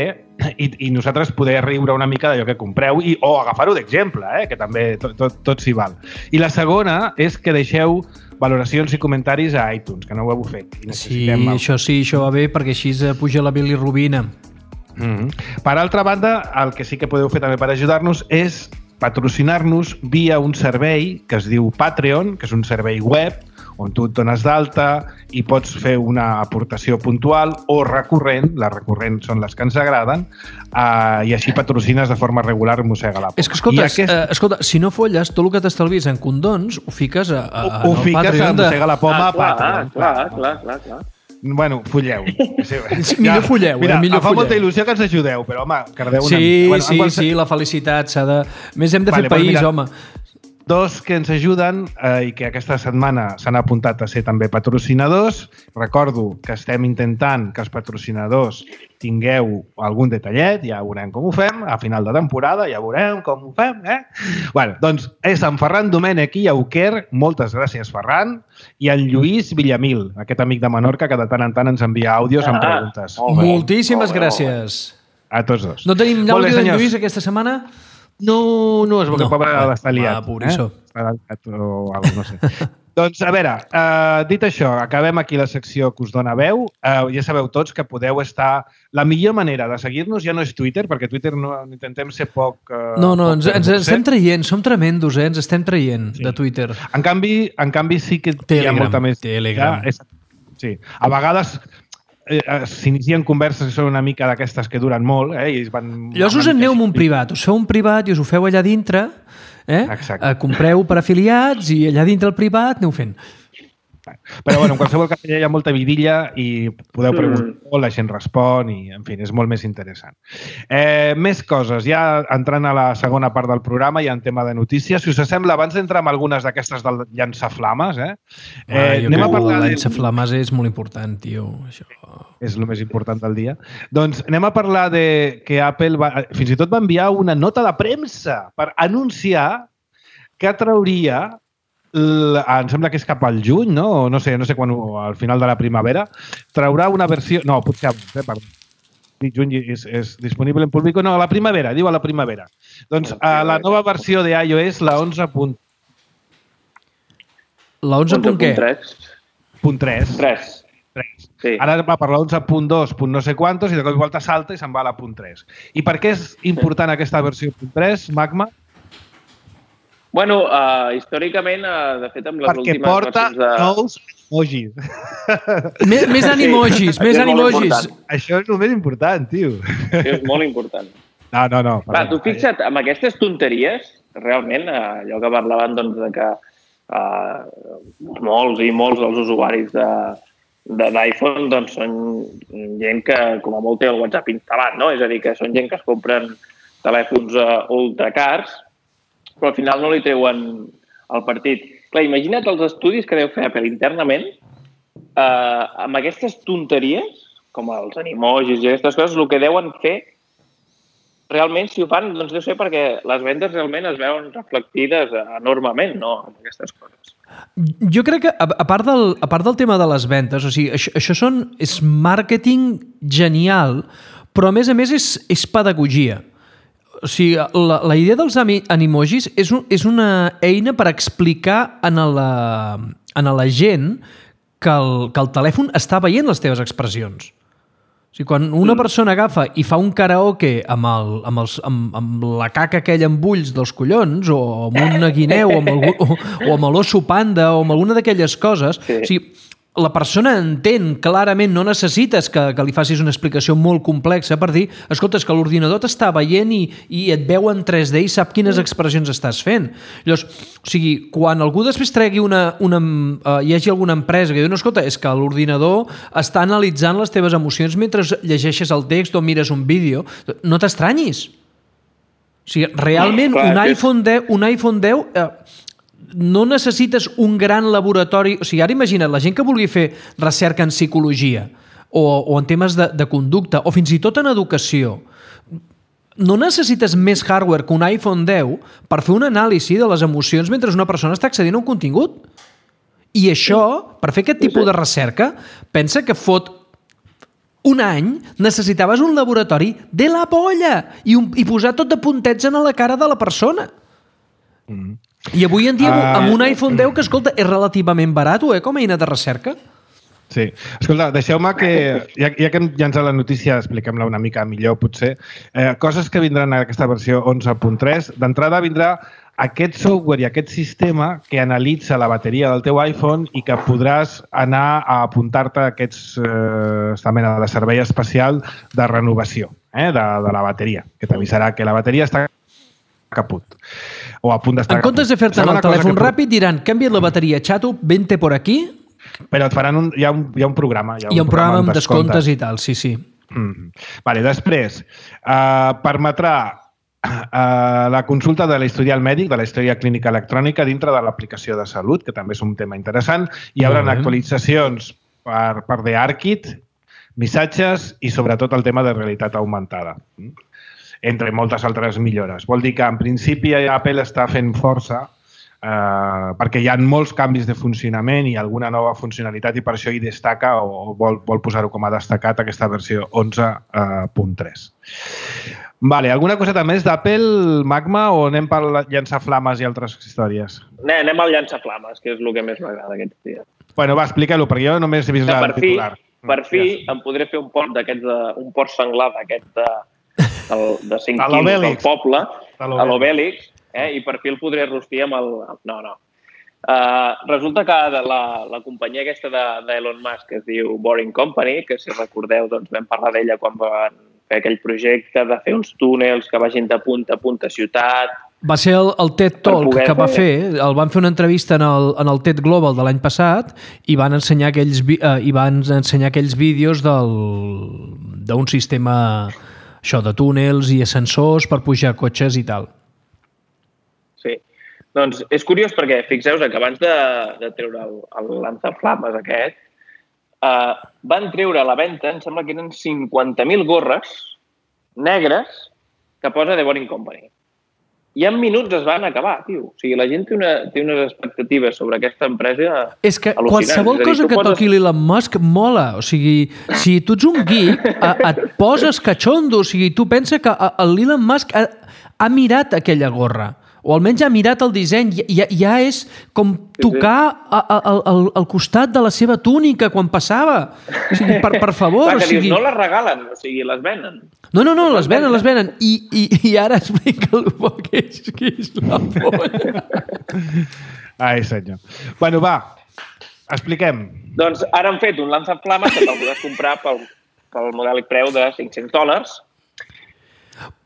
i, i nosaltres poder riure una mica d'allò que compreu i, o agafar-ho d'exemple, eh, que també tot, tot, tot s'hi val. I la segona és que deixeu valoracions i comentaris a iTunes, que no ho heu fet. I Sí, necessitem el- això sí, això va bé, perquè així eh, puja la bilirrubina. Mm-hmm. Per altra banda, el que sí que podeu fer també per ajudar-nos és patrocinar-nos via un servei que es diu Patreon, que és un servei web on tu et dones d'alta i pots fer una aportació puntual o recurrent, les recurrents són les que ens agraden, eh, i així patrocines de forma regular Mossega la Poma. És que, escolta, I aquest... eh, escolta, si no folles, tot el que t'estalvis en condons ho fiques a, a, ho, ho al fiques a Patreon de... Mossega la Poma Ah, a clar, Patreon. clar, clar, clar, clar. Bueno, folleu. Sí, Millor folleu, mira, eh? Millor em fa folleu. molta il·lusió que ens ajudeu, però, home, cardeu una Sí, mica. Bueno, en sí, qualsevol- sí, la felicitat s'ha de... Més hem de Vale, fer doncs país, mira, home. Dos que ens ajuden eh, i que aquesta setmana s'han apuntat a ser també patrocinadors. Recordo que estem intentant que els patrocinadors tingueu algun detallet, ja veurem com ho fem, a final de temporada ja veurem com ho fem, eh? Bueno, doncs és en Ferran Domènech i Auquer, moltes gràcies Ferran, i en Lluís Villamil, aquest amic de Menorca que de tant en tant ens envia àudios amb Ah, preguntes. molt bé, Moltíssimes molt bé, gràcies. A tots dos. No tenim Molt bé, l'àudio d'en senyors. Lluís aquesta setmana? No, no, és perquè No, no, pobre va, està liat. va, pobrísso. Eh? Està liat o alguna cosa, no sé. Doncs, a veure, uh, dit això, acabem aquí la secció que us dona veu. Uh, ja sabeu tots que podeu estar... La millor manera de seguir-nos ja no és Twitter, perquè Twitter no intentem ser poc... Uh, No, no, poc ens, ens estem traient, som tremendos, eh? Ens estem traient sí. de Twitter. En canvi, en canvi sí que Telegram, hi ha molta més... Telegram. Ja, és, sí. A vegades eh, s'inicien converses que són una mica d'aquestes que duren molt, eh? I es van... Llavors us en aneu amb un privat, us feu un privat i us ho feu allà dintre, eh? Exacte. Compreu per afiliats i allà dintre el privat aneu fent. Però, bueno, en qualsevol cas hi ha molta vidilla i podeu preguntar molt, la gent respon i, en fi, és molt més interessant. Eh, més coses. Ja entrant a la segona part del programa, ja en tema de notícies. Si us sembla, abans d'entrar amb algunes d'aquestes del llançaflames, eh? eh ah, jo anem crec a parlar que de... llançaflames és molt important, tio. Això... És el més important del dia. Doncs anem a parlar de que Apple va, fins i tot va enviar una nota de premsa per anunciar que trauria L, em sembla que és cap al juny, no? O no sé, no sé quan, al final de la primavera, traurà una versió... No, potser abans, eh? Perdó. Juny és, és disponible en públic. No, a la primavera, diu a la primavera. Doncs a la nova versió de iOS, la onze punt La onze punt què? Punt tres. tres. Sí. Ara va per la onze punt dos, punt no sé quantos, i de cop i volta salta i se'n va a la punt tres. I per què és important aquesta versió punt tres, Magma? Bueno, uh, històricament, uh, de fet, amb les Perquè últimes porta versions de... nous emojis. Més, més animojis, Sí, més això és molt animojis. important. Això és el més important, tio. Això és molt important. No, no, no. Va, tu fixa't, amb aquestes tonteries, realment, uh, allò que parlaven doncs, de que uh, molts i molts dels usuaris de, de d'iPhone doncs, són gent que, com a molt, té el WhatsApp instal·lat, no? És a dir, que són gent que es compren telèfons uh, ultracars, però al final no li treuen el partit. Clar, imagina't els estudis que deu fer Apple internament eh, amb aquestes tonteries, com els animojis i aquestes coses, el que deuen fer realment, si ho fan, doncs deu ser perquè les vendes realment es veuen reflectides enormement, no?, amb aquestes coses. Jo crec que, a part del, a part del tema de les vendes, o sigui, això, això són, és màrqueting genial, però a més a més és, és pedagogia. O sigui, la, la idea dels animojis és, un, és una eina per explicar a la, a la gent que el, que el telèfon està veient les teves expressions. O sigui, quan una persona agafa i fa un karaoke amb, el, amb, els, amb, amb la caca aquella amb ulls dels collons, o amb una guineu, o amb, el, o, o amb l'osso panda, o amb alguna d'aquelles coses, sí. O sigui, la persona entén clarament, no necessites que, que li facis una explicació molt complexa per dir, escolta, és que l'ordinador t'està veient i, i et veu en tres D i sap quines expressions estàs fent. Llavors, o sigui, quan algú després tregui una... una uh, hi hagi alguna empresa que diu, no, escolta, és que l'ordinador està analitzant les teves emocions mentre llegeixes el text o mires un vídeo, no t'estranyis. O sigui, realment, no, clar, un, iPhone deu, un iPhone deu... Uh, no necessites un gran laboratori... O sigui, ara imagina't, la gent que vulgui fer recerca en psicologia o, o en temes de, de conducta o fins i tot en educació, no necessites més hardware que un iPhone deu per fer una anàlisi de les emocions mentre una persona està accedint a un contingut. I això, per fer aquest tipus de recerca, pensa que fot un any necessitaves un laboratori de la polla i, un, i posar tot de puntets en la cara de la persona. Mm. I avui en dia, uh, amb un iPhone deu, que, escolta, és relativament barat, eh, com a eina de recerca. Sí. Escolta, deixeu-me que, ja, ja que hem llançat la notícia, expliquem-la una mica millor, potser. Eh, coses que vindran a aquesta versió onze punt tres. D'entrada vindrà aquest software i aquest sistema que analitza la bateria del teu iPhone i que podràs anar a apuntar-te a aquests, eh, esta mena de servei especial de renovació eh, de, de la bateria, que t'avisarà que la bateria està caput. O a punt d'estar en comptes de fer-te el telèfon que... ràpid, diran, canvia't la bateria, xato, vente por aquí. Però et faran un, hi, ha un, hi ha un programa. Hi ha un, hi ha un programa, programa amb descomptes. descomptes i tal, sí, sí. Mm. Vale, després, uh, permetrà uh, la consulta de l'historial mèdic, de la història clínica electrònica dintre de l'aplicació de salut, que també és un tema interessant. Hi haurà actualitzacions per, per The ARKit, missatges i sobretot el tema de realitat augmentada. Mm. Entre moltes altres millores. Vol dir que, en principi, Apple està fent força eh, perquè hi ha molts canvis de funcionament i alguna nova funcionalitat i per això hi destaca o vol, vol posar-ho com a destacat aquesta versió onze punt tres. Vale, alguna coseta més d'Apple, Magma, o anem per llançar flames i altres històries? Ne, anem al llançaflames, que és el que més m'agrada aquests dies. Bueno, va, explica-ho, perquè jo només he vist Que el per fi, titular. per fi em podré fer un port d'aquests, de- un port senglar d'aquest de, del- de cinc A quilos del l'Obèlix. poble, A a l'Obèlix, eh? I per fi el podré rostir amb el... No, no. Uh, resulta que de la, la companyia aquesta de- d'Elon Musk, que es diu Boring Company, que si recordeu doncs vam parlar d'ella quan van fer aquell projecte de fer uns túnels que vagin de punta a punta a ciutat. Va ser el, el TED Per Talk poder que va fer- fer, el van fer una entrevista en el, en el TED Global de l'any passat i van ensenyar aquells, vi- eh, i van ensenyar aquells vídeos del, d'un sistema això de túnels i ascensors per pujar cotxes i tal. Sí. Doncs és curiós perquè fixeu-vos que abans de, de treure el, el lanzaflames aquest, uh, van treure a la venda, em sembla que eren cinquanta mil gorres negres que posa The Boring Company. I en minuts es van acabar, tio. O sigui, la gent té, una, té unes expectatives sobre aquesta empresa És que al·lucinants. qualsevol És a dir, cosa tu que poses- toqui l'Elon Musk mola. O sigui, si tu ets un geek, a, et poses catxondo. O sigui, tu pensa que a- a l'Elon Musk ha, ha mirat aquella gorra. O almenys ha mirat el disseny. Ja, ja és com tocar a, a, a, al, al costat de la seva túnica quan passava. O sigui, per, per favor. Clar, O que dius, sigui... no les regalen, o sigui, les venen. No, no, no, les venen, les venen. I, i, i ara explica-lo que és, que és la polla. Ai, senyor. Bueno, va, expliquem. Doncs ara han fet un lanzaflames que te'l podràs comprar pel, pel modèlic preu de cinc-cents dòlars.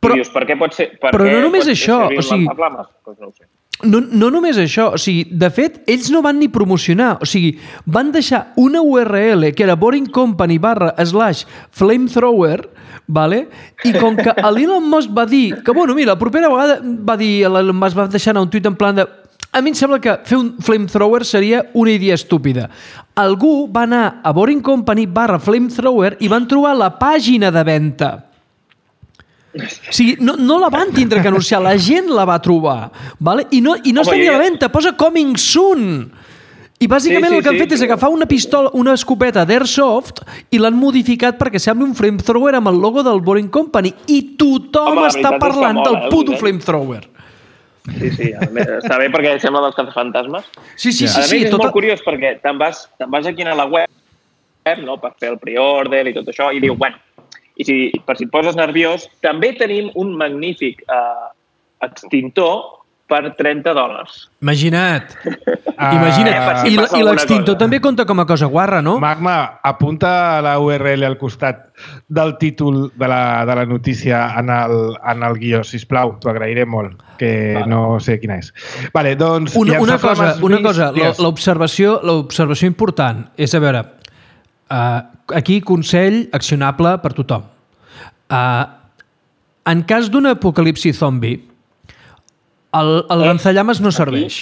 Però- I dius, per què pot ser... Per però què no només pot això, servir o un sigui- lanzaflames? Doncs no ho sé. No, no només això, o sigui, de fet, ells no van ni promocionar, o sigui, van deixar una U R L que era Boring Company barra slash flamethrower, vale? I com que l'Elon Musk va dir que, bueno, mira, la propera vegada va dir, l'Elon Musk va deixar anar un tuit en plan de a mi em sembla que fer un flamethrower seria una idea estúpida. Algú va anar a Boring Company barra flamethrower i van trobar la pàgina de venda. O sigui, no, no la van tindre que anunciar, la gent la va trobar, vale? I no, i no Home, està ni a jo la ja- venda, posa coming soon. I bàsicament Sí, sí, el que han sí, fet és sí. agafar una pistola, una escopeta d'Airsoft i l'han modificat perquè sembli un flamethrower amb el logo del Boring Company i tothom Home, la està veritat és que parlant mola, del eh, el puto disseny. flamethrower. Sí, sí, a més, està bé perquè sembla dels cazafantasmes. Sí, sí, a sí, sí. més, és Tota... molt curiós perquè te'n vas, te'n vas aquí a la web, no?, per fer el pre-order i tot això, i diu, bueno, i si, per si et poses nerviós, també tenim un magnífic eh, extintor per trenta dòlars. Imagina't. Ah, Imagina't. per si I, passa i alguna l'extintor cosa. també compta com a cosa guarra, no? Magma, apunta la U R L al costat del títol de la, de la notícia en el, en el guió, sisplau, t'ho agrairé molt, que Vale. no sé quina és. Vale, doncs... Una, una cosa, llançaflames una vist, cosa la- digues. l'observació l'observació important és, a veure, uh, aquí consell accionable per tothom. Uh, en cas d'un apocalipsi zombi, el, el Eh? lanzallames no serveix.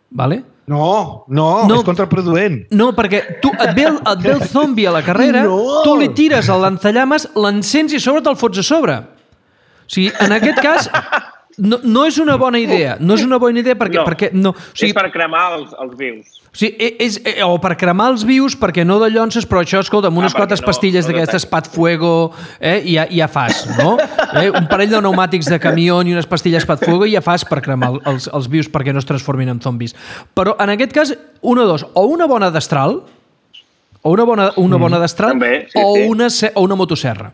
Vale? No, no, No. és contraproduent. No, perquè tu et ve el, et ve el zombi a la carrera, No. tu li tires el lanzallames, l'encens i a sobre te'l fots a sobre. O sigui, en aquest cas, no, no és una bona idea. No és una bona idea perquè... No. perquè no. O sigui, És per cremar els, els vius. o sigui, és, és, o per cremar els vius, perquè no de llonces, però això, escolta, amb unes Ah, perquè quantes no- pastilles no d'aquestes detecta. Pat Fuego, eh, i ja, ja fas, no? Eh, un parell de pneumàtics de camió i unes pastilles Pat Fuego i ja fas per cremar el- els, els vius perquè no es transformin en zombis. Però en aquest cas, una o dos, o una bona destral, o una bona, una bona destral, També, sí, o, sí. una, se- o una motosserra.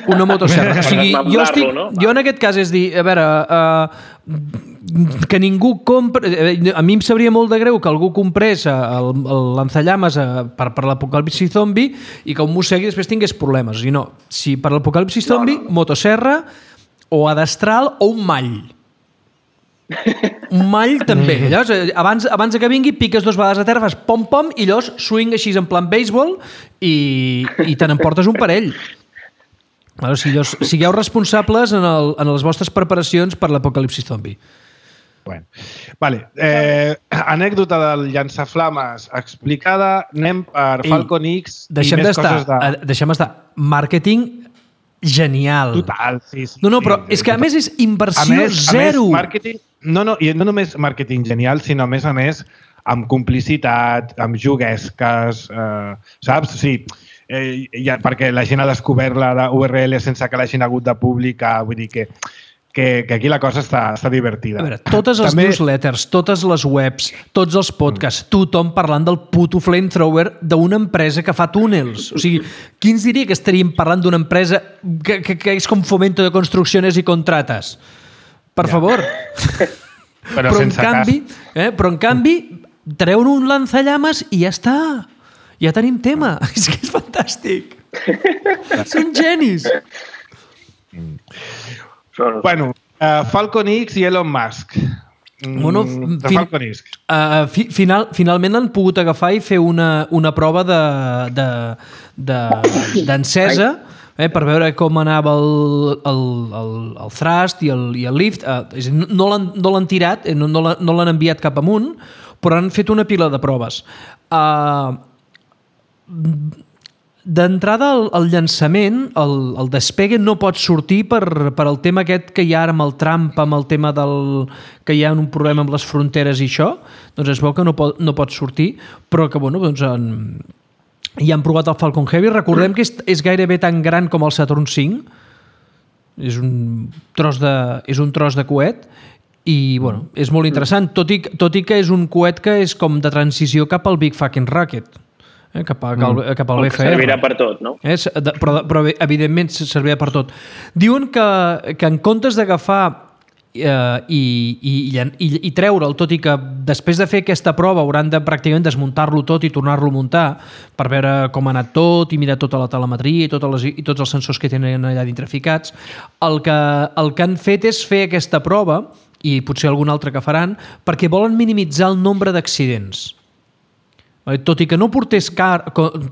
Una motosserra. O sigui, Per jo, desmemblar-lo, estic, no? jo en aquest cas és dir, a veure, uh, que ningú compra... eh, A mi em sabria molt de greu que algú comprés eh, el, el lanzallames eh, per, per l'apocalipsi zombi i que un mossegui i després tingués problemes. O sigui, no, si per l'apocalipsi zombi, no, no. motosserra o a destral o un mall. Un mall també. Llavors, eh, abans, abans que vingui, piques dos vegades a terra, fas pom-pom i llavors swing així en plan béisbol i, i te n'emportes un parell. Bueno, sigueu, sigueu responsables en, el, en les vostres preparacions per l'apocalipsi zombi. Bueno. Vale. Eh, anècdota del llançaflames explicada. Anem per Ei, Falcon X Deixem i més d'estar, coses de... eh, deixem estar. Màrqueting genial. Total, sí, sí. No, no, sí, però sí, és que a total. més és inversió a més, zero. A més, màrqueting, no, no, i no només màrqueting genial, sinó a més a més amb complicitat, amb juguesques, eh, saps? Sí, eh, ja, perquè la gent ha descobert la U R L sense que l'hagin hagut de publicar, vull dir que Que, que aquí la cosa està, està divertida. A veure, totes les També... newsletters, totes les webs, tots els podcasts, tothom parlant del puto flamethrower d'una empresa que fa túnels. O sigui, qui ens diria que estaríem parlant d'una empresa que, que, que és com Fomento de Construcciones i Contrates? Per ja. favor. Però, però, en canvi, eh, però en canvi, treuen un lanzallames i ja està. Ja tenim tema. És que és fantàstic. Són genis. Mm. Bueno, uh, Falcon X i Elon Musk. Mm, bueno, de fin, Falcon X. Uh, fi, final, finalment l'han pogut agafar i fer una, una prova de, de, de, d'encesa eh, per veure com anava el, el, el, el thrust i el, i el lift. Uh, és dir, no l'han no l'han tirat, no, no l'han, no l'han enviat cap amunt, però han fet una pila de proves. Uh, D'entrada, el, el llançament, el, el despegue no pot sortir per, per el tema aquest que hi ha ara amb el Trump, amb el tema del, que hi ha un problema amb les fronteres i això, doncs es veu que no pot, no pot sortir, però que, bueno, doncs en, ja han provat el Falcon Heavy. Recordem que és, és gairebé tan gran com el Saturn cinc, és un tros de, és un tros de coet, i, bueno, és molt interessant, tot i, tot i que és un coet que és com de transició cap al Big Fucking Rocket. Eh, cap, a, mm. cap al B F R. Servirà per tot, no? Eh, però, però, evidentment, servirà per tot. Diuen que, que en comptes d'agafar eh, i, i, i, i treure'l, tot i que després de fer aquesta prova hauran de pràcticament desmuntar-lo tot i tornar-lo a muntar per veure com ha anat tot i mirar tota la telemetria i, totes les, i tots els sensors que tenen allà dintre ficats, el que, el que han fet és fer aquesta prova, i potser algun altre que faran, perquè volen minimitzar el nombre d'accidents. Tot i que no portés car,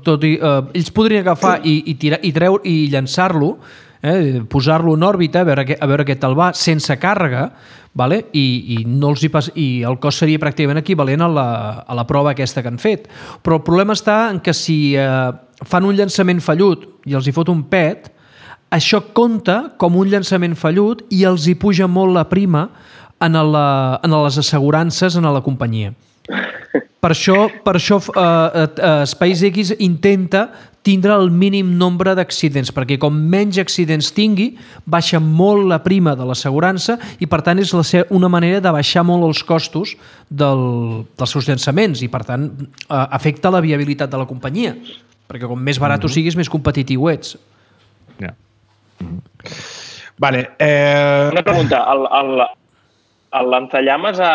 tot i, eh, ells podrien agafar i, i, tirar, i, treure, i llançar-lo, eh, posar-lo en òrbita, a veure, a veure què tal va, sense càrrega, vale? I, i, no els hi pas, i el cost seria pràcticament equivalent a la, a la prova aquesta que han fet. Però el problema està en que si eh, fan un llançament fallut i els hi fot un pet, això compta com un llançament fallut i els hi puja molt la prima en, la, en les assegurances en la companyia. Per això, per això uh, uh, SpaceX intenta tindre el mínim nombre d'accidents, perquè com menys accidents tingui, baixa molt la prima de l'assegurança i, per tant, és la ser una manera de baixar molt els costos del, dels seus llançaments i, per tant, uh, afecta la viabilitat de la companyia, perquè com més barat mm-hmm. siguis, més competitiu ets. Ja. Yeah. Mm-hmm. Vale. Eh... Una pregunta. El... el... el lanzallames a,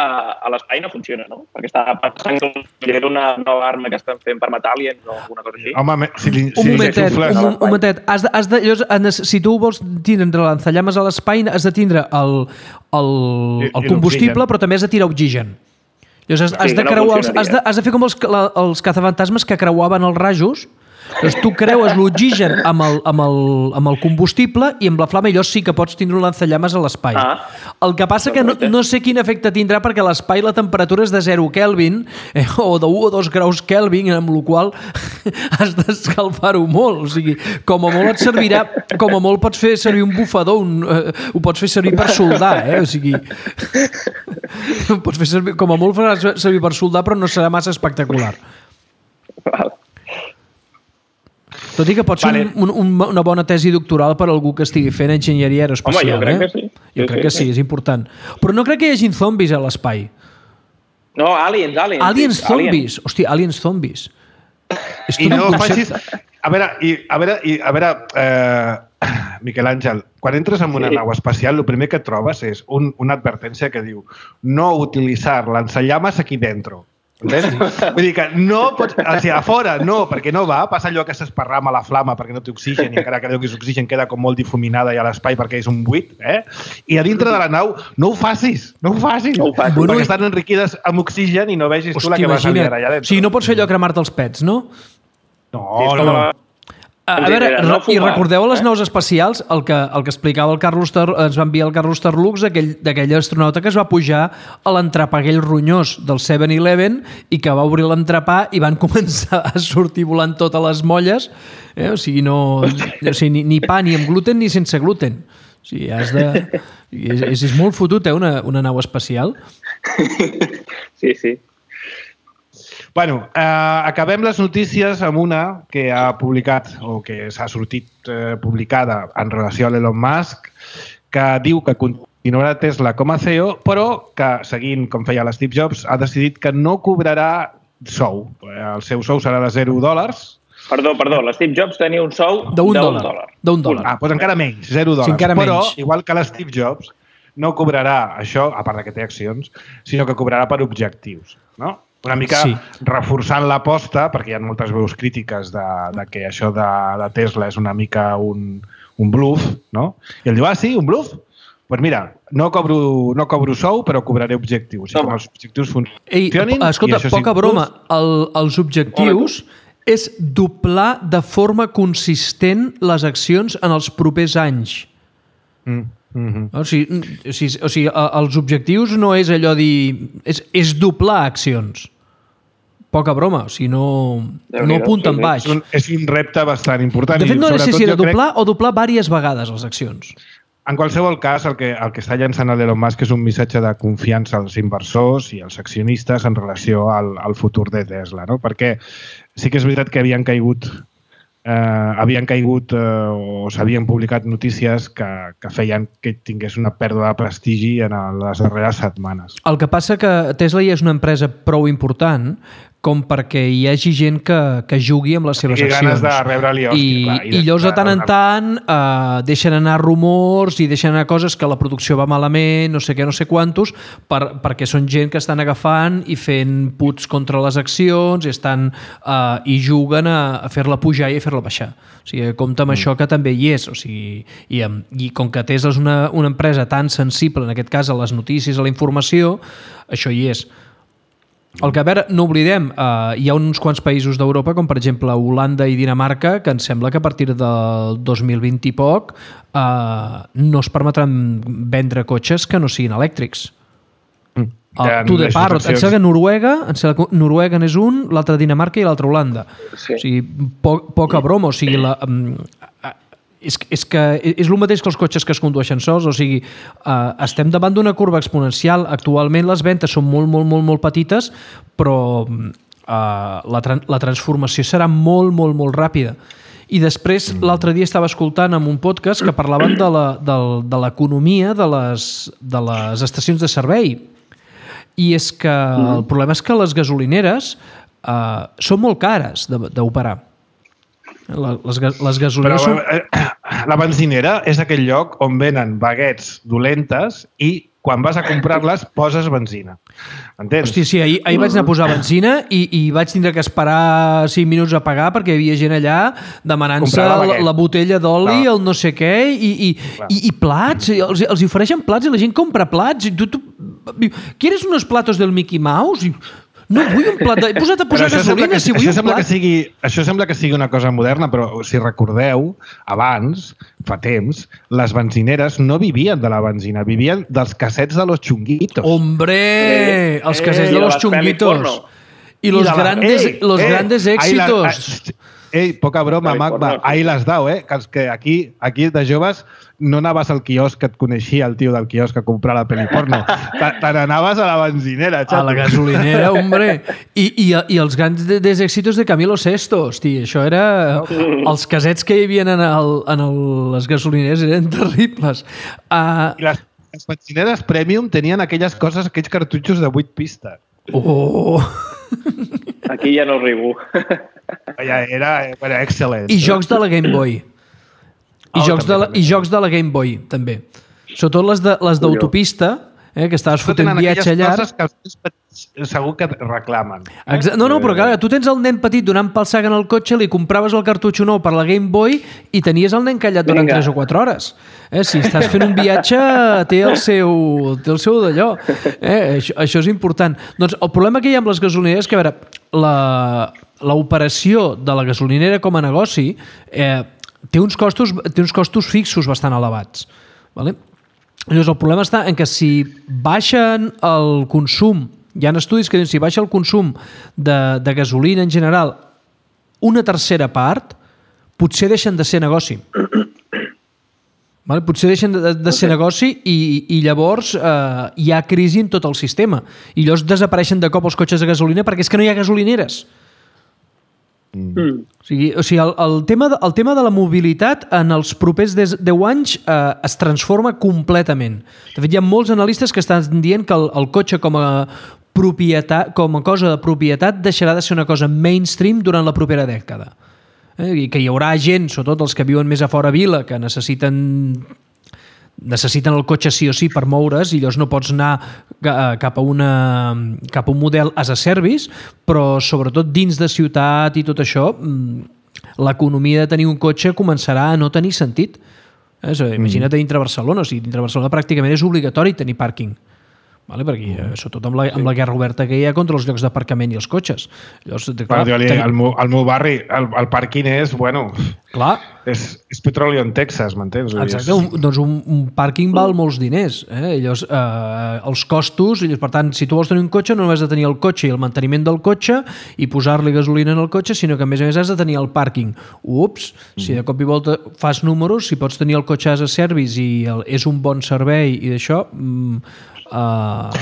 a l'espai no funciona, no? Perquè estava pensant que era una nova arma que estan fent per matar aliens o alguna cosa així. Home, si li, si un momentet, un, un momentet. Has de, has de, llavors, si tu vols tindre lanzallames a l'espai, has de tindre el, el, el combustible, però també has de tirar oxigen. Llavors, has, has, sí, de creuar, no has, de, has de fer com els, la, els cazafantasmes que creuaven els rajos. Llavors, tu creues l'oxigen amb, el, amb, el, amb el combustible i amb la flama, i llavors sí que pots tindre un lanzallames a l'espai. Ah. El que passa que no, no sé quin efecte tindrà, perquè a l'espai la temperatura és de zero Kelvin eh, o de u o dos graus Kelvin, amb la qual has d'escalfar-ho molt. O sigui, com a molt et servirà, com a molt pots fer servir un bufador, un, eh, ho pots fer servir per soldar, eh? O sigui, pots fer servir, com a molt faràs servir per soldar, però no serà massa espectacular. Val. Tot i que pot ser vale. un, un, una bona tesi doctoral per a algú que estigui fent enginyeria aeroespacial. Home, jo crec eh? que sí. Jo sí, crec sí, que sí, sí, és important. Però no crec que hi hagin zombis a l'espai. No, aliens, aliens. Aliens sí, zombis. Aliens. Hòstia, aliens zombis. És I no facis... A veure, i, a veure, i, a veure eh, Miquel Àngel, quan entres en una sí. nau espacial, el primer que trobes és un, una advertència que diu no utilitzar lanzallamas aquí dentro. Entens? Vull dir que no pots... O sigui, a fora no, perquè no va. Passa allò que s'esparrama la flama perquè no té oxigen i encara que deu que és oxigen queda com molt difuminada i a l'espai perquè és un buit. Eh? I a dintre de la nau no ho facis. No ho facis. No ho facis. Bueno, perquè estan enriquides amb oxigen i no vegis tu la que vas a liar allà dentro. O sigui, no pots fer allò cremar-te els pets, no? No, no. A, a veure, no i recordeu a les naus espacials el que, el que explicava el Carlos Ter, ens va enviar el Carlos Terlux d'aquell astronauta que es va pujar a l'entrepà aquell ronyós del seven eleven i que va obrir l'entrepà i van començar a sortir volant totes les molles, eh? O sigui, no, o sigui, ni, ni pa ni amb gluten ni sense gluten. O sigui, has de... És, és molt fotut, eh, una, una nau espacial. Sí, sí. Bueno, eh, acabem les notícies amb una que ha publicat o que s'ha sortit eh, publicada en relació a l'Elon Musk, que diu que continuarà Tesla com a C E O, però que, seguint com feia l'Steve Jobs, ha decidit que no cobrarà sou. El seu sou serà de zero dòlars. Perdó, perdó, l'Steve Jobs tenia un sou d'un dòlar. dòlar. D'un dòlar. Ah, doncs encara menys, zero dòlars. Sí, encara però, menys. igual que l'Steve Jobs, no cobrarà això, a part que té accions, sinó que cobrarà per objectius, no? Una mica sí. reforçant l'aposta, perquè hi ha moltes veus crítiques de, de que això de, de Tesla és una mica un, un bluff, no? I ell diu, ah, sí, un bluff? Doncs pues mira, no cobro, no cobro sou, però cobraré objectius. I com els objectius funcionin... Ei, escolta, poca broma. El, els objectius és doblar de forma consistent les accions en els propers anys. Mm, mm-hmm. O sigui, o sigui, o sigui, els objectius no és allò dir... És, és doblar accions. Poca broma, o sigui, no, no apunta en baix. És un, és un repte bastant important. De fet, no sé si era doblar crec... o doblar diverses vegades les accions. En qualsevol cas, el que, el que està llançant l'Elon Musk és un missatge de confiança als inversors i als accionistes en relació al, al futur de Tesla, no? Perquè sí que és veritat que havien caigut eh, havien caigut eh, o s'havien publicat notícies que, que feien que tingués una pèrdua de prestigi en les darreres setmanes. El que passa que Tesla ja és una empresa prou important com perquè hi hagi gent que, que jugui amb les seves accions. Ganes de rebre-li hòstia, I, clar, i, i llavors de tant en tant eh, deixen anar rumors i deixen anar coses que la producció va malament, no sé què, no sé quantos, per, perquè són gent que estan agafant i fent puts contra les accions i, estan, eh, i juguen a, a fer-la pujar i a fer-la baixar. O sigui, compta amb mm. això que també hi és. O sigui, i, i com que Tesla és una, una empresa tan sensible, en aquest cas a les notícies, a la informació, això hi és. El que, a veure, no oblidem, eh, hi ha uns quants països d'Europa, com per exemple Holanda i Dinamarca, que em sembla que a partir del dos mil vint i poc eh, no es permetran vendre cotxes que no siguin elèctrics. Mm. El, tu de parro, em sembla que Noruega, em sembla que Noruega n'és un, l'altre Dinamarca i l'altre Holanda. Sí. O sigui, po poca broma, o sigui, la... Eh, És, és que és el mateix que els cotxes que es condueixen sols, o sigui, eh, estem davant d'una curva exponencial. Actualment les ventes són molt, molt, molt, molt petites, però eh, la, tra la transformació serà molt, molt, molt ràpida. I després, l'altre dia estava escoltant en un podcast que parlaven de l'economia de, de, les, de les estacions de servei. I és que el problema és que les gasolineres eh, són molt cares d'operar. Les, les gasolineres Però, són... eh, la benzinera és aquell lloc on venen baguettes dolentes i quan vas a comprar-les poses benzina. Entens? Hòstia, sí, ahir, ahir vaig anar a posar benzina i, i vaig tindre que esperar cinc minuts a pagar perquè hi havia gent allà demanant-se la, la botella d'oli, el no sé què, i, i, i, i plats, els, els ofereixen plats i la gent compra plats. I tu, tu, ¿quieres unos platos del Mickey Mouse? I... No vull un plat de... He posat a posar gasolina, si vull un plat... Que sigui, això sembla que sigui una cosa moderna, però si recordeu, abans, fa temps, les benzineres no vivien de la benzina, vivien dels cassets de los chunguitos. ¡Hombre! Eh, els cassets eh, de los chunguitos. I los, I la, grandes, eh, los eh, grandes éxitos. La, Ei, poca broma, Magma, ahí l'has dau, eh? Que, que aquí, aquí de joves no anaves al quiosc que et coneixia el tio del quiosc a comprar la pel·li porno. Te n'anaves a la benzinera, xato. A la gasolinera, hombre. I, i, I els grans éxitos de Camilo Sesto, hosti, això era... Els casets que hi havia en, el, en el, les gasolineres eren terribles. Uh... I les, les benzineres Premium tenien aquelles coses, aquells cartutxos de vuit pistes. Oh! Aquí ja no riu. Ja era, era excel·lent. I jocs de la Game Boy. I, oh, jocs, també, de la, també. I jocs de la Game Boy, també. Sobretot les d'autopista, eh, que estaves fotent viatge llarg. Coses que els petits segur que reclamen. Eh? No, no, però clar, tu tens el nen petit donant pel sac en el cotxe, li compraves el cartutxo nou per la Game Boy i tenies el nen callat durant tres o quatre hores. Eh, si estàs fent un viatge, té el seu, té el seu d'allò. Eh, això, això és important. Doncs el problema que hi ha amb les gasolineres és que, a veure, la... l'operació de la gasolinera com a negoci eh, té, uns costos, té uns costos fixos bastant elevats. Vale? Llavors, el problema està en que si baixen el consum, hi ha estudis que diuen si baixa el consum de, de gasolina en general una tercera part, potser deixen de ser negoci. Vale? Potser deixen de, de ser okay. negoci i, i llavors eh, hi ha crisi en tot el sistema. I llavors desapareixen de cop els cotxes de gasolina perquè és que no hi ha gasolineres. Mm. O sigui, o sigui el, el, tema de, el tema de la mobilitat en els propers deu anys eh, es transforma completament. De fet, hi ha molts analistes que estan dient que el, el cotxe com a propietat, com a cosa de propietat deixarà de ser una cosa mainstream durant la propera dècada. Eh? I que hi haurà gent, sobretot els que viuen més a fora vila, que necessiten necessiten el cotxe sí o sí per moure's i llavors no pots anar cap a, una, cap a un model as a service, però sobretot dins de ciutat i tot això, l'economia de tenir un cotxe començarà a no tenir sentit. Eh? Imagina't mm. dintre Barcelona, o sigui, dintre Barcelona pràcticament és obligatori tenir pàrquing. Vale, perquè, mm. sobretot amb la, amb la guerra oberta que hi ha contra els llocs d'aparcament i els cotxes. Llavors, clar, bueno, ten... al, meu, al meu barri el, el pàrquing és, bueno, clar. és, és petroli en Texas, m'entens? Exacte, un, doncs un, un pàrquing val molts diners. Eh? Llavors, eh, els costos, i per tant, si tu vols tenir un cotxe, no només has de tenir el cotxe i el manteniment del cotxe i posar-li gasolina en el cotxe, sinó que a més a més has de tenir el pàrquing. Ups, mm. si de cop i volta fas números, si pots tenir el cotxe as a service i el, és un bon servei i d'això... Mm, Uh...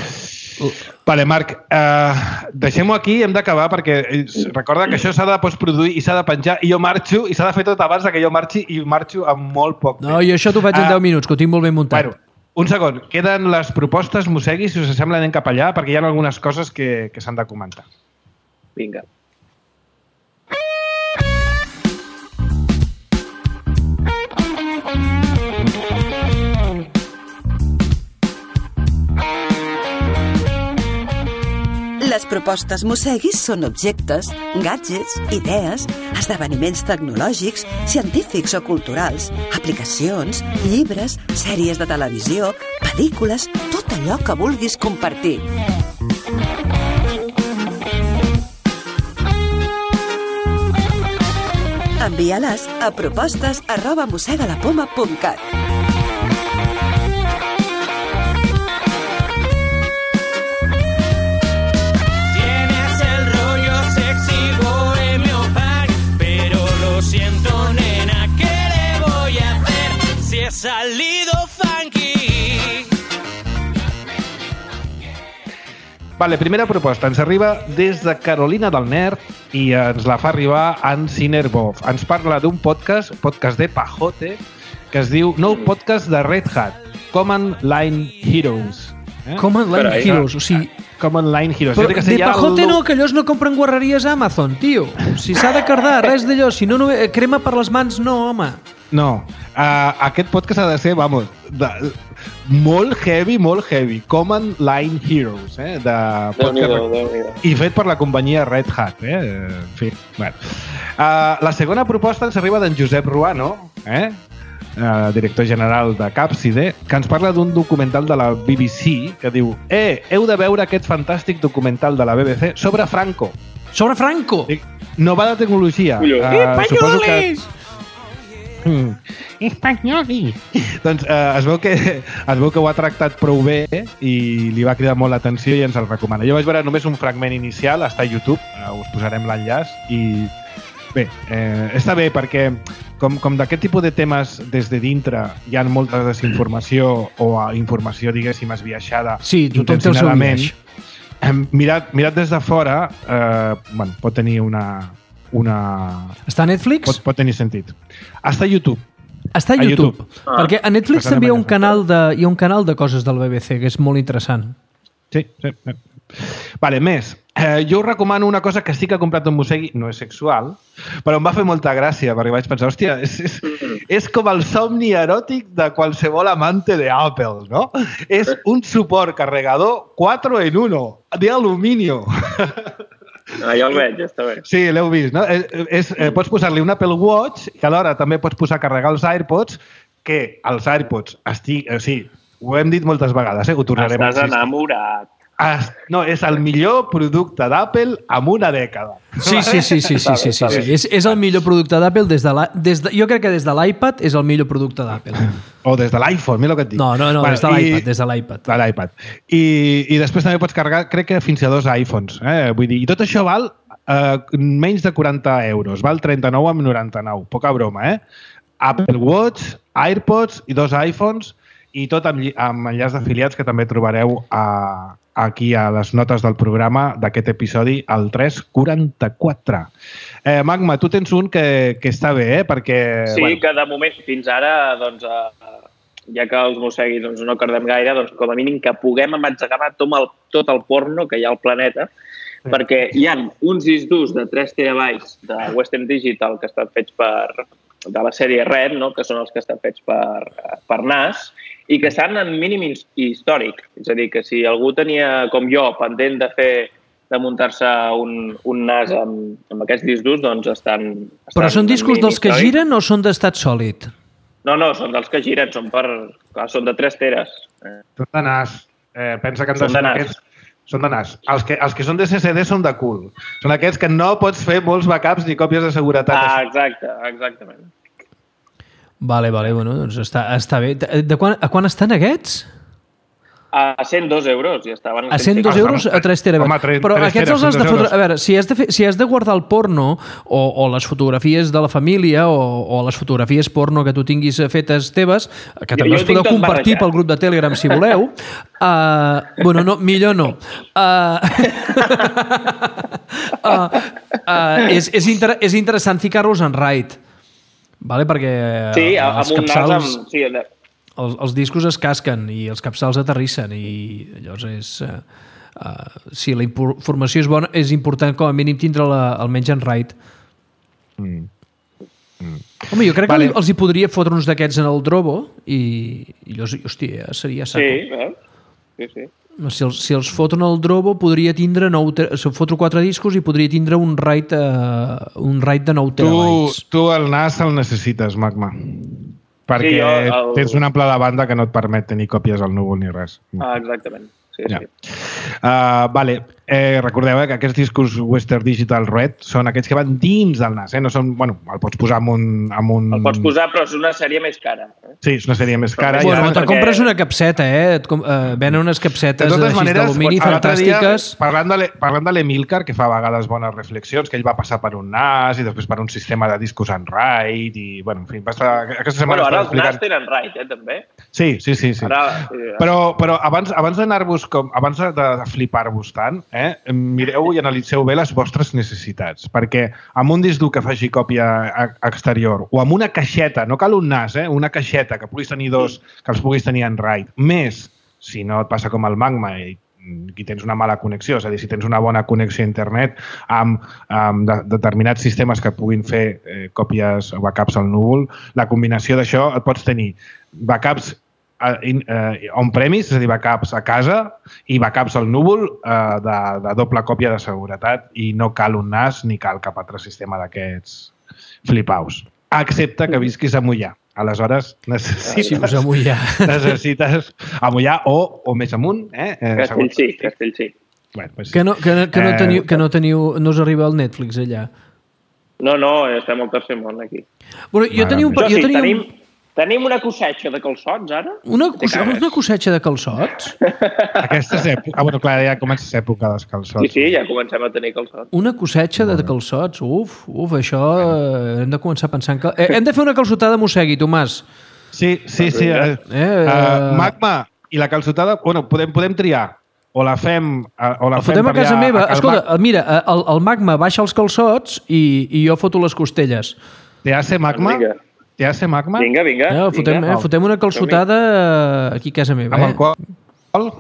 Vale, Marc, uh, deixem-ho aquí, hem d'acabar perquè recorda que això s'ha de postproduir i s'ha de penjar i jo marxo i s'ha de fer tot abans que jo marxi i marxo amb molt poc temps. No, i això t'ho faig en uh, deu minuts, que ho tinc molt ben muntat. Bueno, un segon, queden les propostes, Mossegui, si us sembla anem cap allà perquè hi ha algunes coses que, que s'han de comentar. Vinga. Les propostes Mosseguis són objectes, gadgets, idees, esdeveniments tecnològics, científics o culturals, aplicacions, llibres, sèries de televisió, pel·lícules, tot allò que vulguis compartir. Envia-les a propostes arroba mossegalapoma punt cat. Salido funky. Vale, primera proposta. Ens arriba des de Carolina del Nord i ens la fa arribar en Cinerbov. Ens parla d'un podcast, podcast de Pajote, que es diu Nou Podcast de Red Hat, Command Line Heroes. Eh? Command Line Carai, Heroes, o sigui... Command Line Heroes. Però de Pajote el... no, que allòs no compren guarreries a Amazon, tio. Si s'ha de cardar, res d'allò. Si no, no, crema per les mans, no, home. No, uh, aquest podcast ha de ser, vamos, de, molt heavy, molt heavy. Command Line Heroes, eh? De podcast, i fet per la companyia Red Hat, eh? En fi, bueno. Uh, la segona proposta ens arriba d'en Josep Ruano, eh? Uh, director general de Capside, que ens parla d'un documental de la B B C que diu: Eh, heu de veure aquest fantàstic documental de la B B C sobre Franco. Sobre Franco? Nova de tecnologia. Uh, Espanyolis! Mm. Espanyoli! Doncs eh, es, veu que, es veu que ho ha tractat prou bé eh? i li va cridar molt l'atenció i ens el recomana. Jo vaig veure només un fragment inicial, està a YouTube, eh, us posarem l'enllaç i bé, eh, està bé perquè com, com d'aquest tipus de temes des de dintre hi ha molta desinformació o informació, diguéssim, esbiaixada sí, intencionadament, eh, mirat, mirat des de fora eh, bueno, pot tenir una... una... Està a Netflix? Pot, pot tenir sentit. Està a YouTube. Està a, a YouTube. YouTube. Ah. Perquè a Netflix Passarem també hi ha, un canal de, hi ha un canal de coses del B B C que és molt interessant. Sí, sí. sí. Vale, més. Eh, jo us recomano una cosa que sí que he comprat en Mossegui, no és sexual, però em va fer molta gràcia perquè vaig pensar, hòstia, és, és, és com el somni eròtic de qualsevol amante de Apple, no? És un suport carregador quatre en uno, de aluminio. Ah, ja el veig, està bé. Sí, l'heu vist, no? És, és, eh, pots posar-li un Apple Watch i alhora també pots posar a carregar els AirPods, que els AirPods estic... O sigui, ho hem dit moltes vegades, eh? Ho tornarem Estàs a enamorat. Es, no, és el millor producte d'Apple en una dècada. Sí, sí, sí, sí, sí, sí, sí, sí. És, és el millor producte d'Apple des de la, des de, jo crec que des de l'iPad és el millor producte d'Apple. O des de l'iPhone, mira el que et dic. No, no, no, bueno, des de l'iPad, des de l'iPad. De l'iPad. I, I després també pots carregar, crec que fins a dos iPhones. Eh? Vull dir, i tot això val eh, menys de quaranta euros. Val trenta-nou amb noranta-nou. Poca broma, eh? Apple Watch, AirPods i dos iPhones i tot amb, amb enllaç d'afiliats que també trobareu a, aquí a les notes del programa d'aquest episodi, el tres quaranta-quatre. Eh, Magma, tu tens un que, que està bé, eh? Perquè... Sí, bueno. que de moment, fins ara, doncs, eh, ja que els mosseguis doncs, no cardem gaire, doncs com a mínim que puguem amatzegar tot el, tot el porno que hi ha al planeta, sí. Perquè hi ha uns discs durs de tres terabytes de Western Digital que estan fets per, de la sèrie Red, no? Que són els que estan fets per, per N A S, i que estan en mínim històric. És a dir, que si algú tenia, com jo, pendent de fer de muntar-se un, un N A S amb, amb aquests discs durs, doncs estan... estan Però són discos dels que giren o són d'estat sòlid? No, no, són dels que giren, són, per, clar, són de tres teres. Són de N A S. Eh, pensa que han de són ser de N A S. aquests... Són de N A S. Els que, els que són de C C D són de cul. Són aquests que no pots fer molts backups ni còpies de seguretat. Ah, exacte, exactament. Vale, vale, bueno, doncs està, està bé. De, de quan, a quan estan aquests? A cent dos euros, i estaven... A cent dos euros a tres terabytes. Home, tres, però tres aquests teres, els has de fotre... euros. A veure, si has de, fer, si has de guardar el porno o, o les fotografies de la família o, o les fotografies porno que tu tinguis fetes teves, que també jo les podeu tinc tot compartir barrejat. pel grup de Telegram si voleu, uh, bueno, no, millor no. Uh, uh, uh, és, és, inter és interessant ficar-los en RAID, vale? Perquè sí, els amb un capçals... nas amb... Sí, Els, els discos es casquen i els capçals aterrissen i llavors és... Uh, uh, si la informació és bona, és important com a mínim tindre-la almenys en RAID. Mm. Mm. Home, jo crec vale. que els hi podria fotre uns d'aquests en el Drobo i, i llavors, hòstia, seria saco. Sí, veus? Sí, sí. Si els, si els foto en el Drobo podria tindre nou... Si foto quatre discos i podria tindre un RAID, uh, un RAID de nou terabytes. Tu, tu el N A S el necessites, Magma. Perquè sí, jo, el... tens una ample de banda que no et permet tenir còpies al núvol ni res. Ah, exactament. Sí, ja. sí. Uh, vale. Eh, recordeu eh, que aquests discos Western Digital Red són aquells que van dins del N A S. Eh? No són, bueno, el pots posar amb un, amb un... El pots posar, però és una sèrie més cara. Eh? Sí, és una sèrie més cara. Bueno, ja, te compres una capseta, eh? Et com, eh venen unes capsetes d'alumini fantàstiques. Dia, parlant de, parlant de l'Emilcar, que fa a vegades bones reflexions, que ell va passar per un N A S i després per un sistema de discos en RAID i, bueno, en fi, va estar... Aquesta setmana bueno, ara els explicant... N A S tenen RAID, eh, també. Sí, sí, sí. sí. Ara, sí però, però abans, abans d'anar-vos com... Abans de, de flipar-vos tant, eh, mireu i analitzeu bé les vostres necessitats, perquè amb un disc dur que faci còpia exterior o amb una caixeta, no cal un N A S, eh, una caixeta que puguis tenir dos, que els puguis tenir en RAID, més, si no et passa com el Magma i aquí tens una mala connexió, és a dir, si tens una bona connexió a internet amb, amb de, determinats sistemes que puguin fer eh, còpies o backups al núvol, la combinació d'això et pots tenir backups Uh, on-premise, és a dir, backups a casa i backups al núvol uh, de, de doble còpia de seguretat i no cal un N A S ni cal cap altre sistema d'aquests flipaus. Excepte que visquis a Mollà. Aleshores, necessites... Sí, a Mollà. Necessites a Mollà o, o més amunt. Eh? Castellcí, Castellcí. Bueno, pues sí. Que no, que, que, no teniu, que no teniu... No us arriba el Netflix allà. No, no, estem al tercer món aquí. Bueno, jo tenia un... Jo jo sí, tenia tenim... un... Tenim una cossetxa de calçots, ara? Una, cos una cossetxa de calçots? Aquesta és època... Ah, bueno, clar, ja comença l'època dels calçots. Sí, sí, ja comencem a tenir calçots. Una cossetxa de calçots? Uf, uf, això... Eh, hem de començar a pensar en... Cal... Eh, hem de fer una calçotada mossegui, Tomàs. Sí, sí, sí. Eh, eh, uh, Magma, i la calçotada... Bueno, podem, podem triar. O la fem... O la el fotem fem a casa meva. A Escolta, Mag... mira, el, el Magma baixa els calçots i, i jo foto les costelles. Te hace Magma? Te hace Magma? Vinga, vinga. Eh, fotem, vinga. Eh, fotem una calçotada aquí a casa meva. Amb eh? alcohol?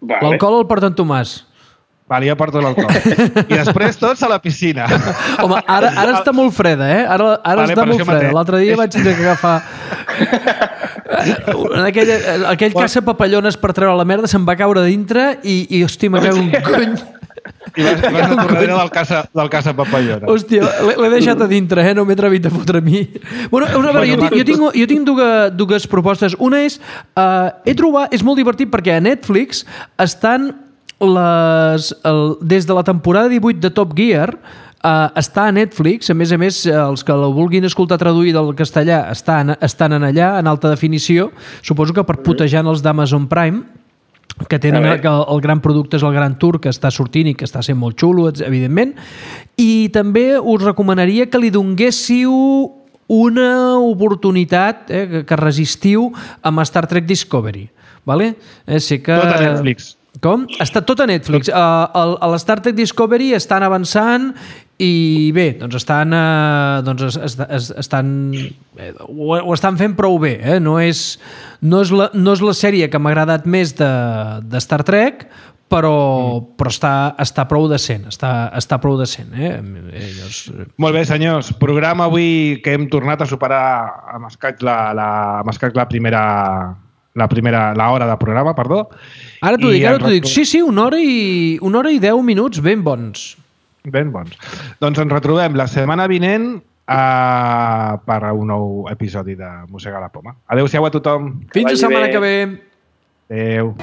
Vale. L'alcohol el porta en Tomàs. Vale, jo porto l'alcohol. I després tots a la piscina. Home, ara, ara està molt freda, eh? Ara, ara vale, està molt freda. L'altre dia vaig tenir que agafar... aquell, aquell bueno. caça papallones per treure la merda se'n va caure dintre i, i hòstia, me cago un cony... I vas, vas a tornar del casa, del casa papallona. Hòstia, l'he deixat a dintre, eh? No m'he atrevit a fotre a mi. Bueno, a veure, jo tinc, jo tinc, jo tinc dues, dues propostes. Una és, uh, he trobat, és molt divertit perquè a Netflix estan les, el, des de la temporada divuit de Top Gear, uh, està a Netflix, a més a més, els que la vulguin escoltar traduir del castellà estan, estan en allà, en alta definició, suposo que per putejar els d'Amazon Prime, que tenen que el, el gran producte és el Gran Tour, que està sortint i que està sent molt xulo, evidentment. I també us recomanaria que li donguéssiu una oportunitat eh, que, que resistiu amb Star Trek Discovery. Vale? Eh, sé que... Tot a Netflix. Com? Està tot a Netflix. Uh, el, el Star Trek Discovery estan avançant i bé, doncs estan, uh, doncs es, es, es, estan eh, ho, ho estan fent prou bé. Eh? No, és, no, és la, no és la sèrie que m'ha agradat més de, de Star Trek, però, mm. però està, està prou decent. Està, està prou decent. Eh? Llavors... Molt bé, senyors. Programa avui que hem tornat a superar amb escaig la, la, amb escaig la primera... la primera, la hora de programa, perdó. Ara t'ho dic, ara t'ho dic. Sí, sí, una hora, i, una hora i deu minuts ben bons. Ben bons. Doncs ens retrobem la setmana vinent uh, per a un nou episodi de Mossega la Poma. Adéu-siau a tothom. Fins la setmana que ve. Adéu.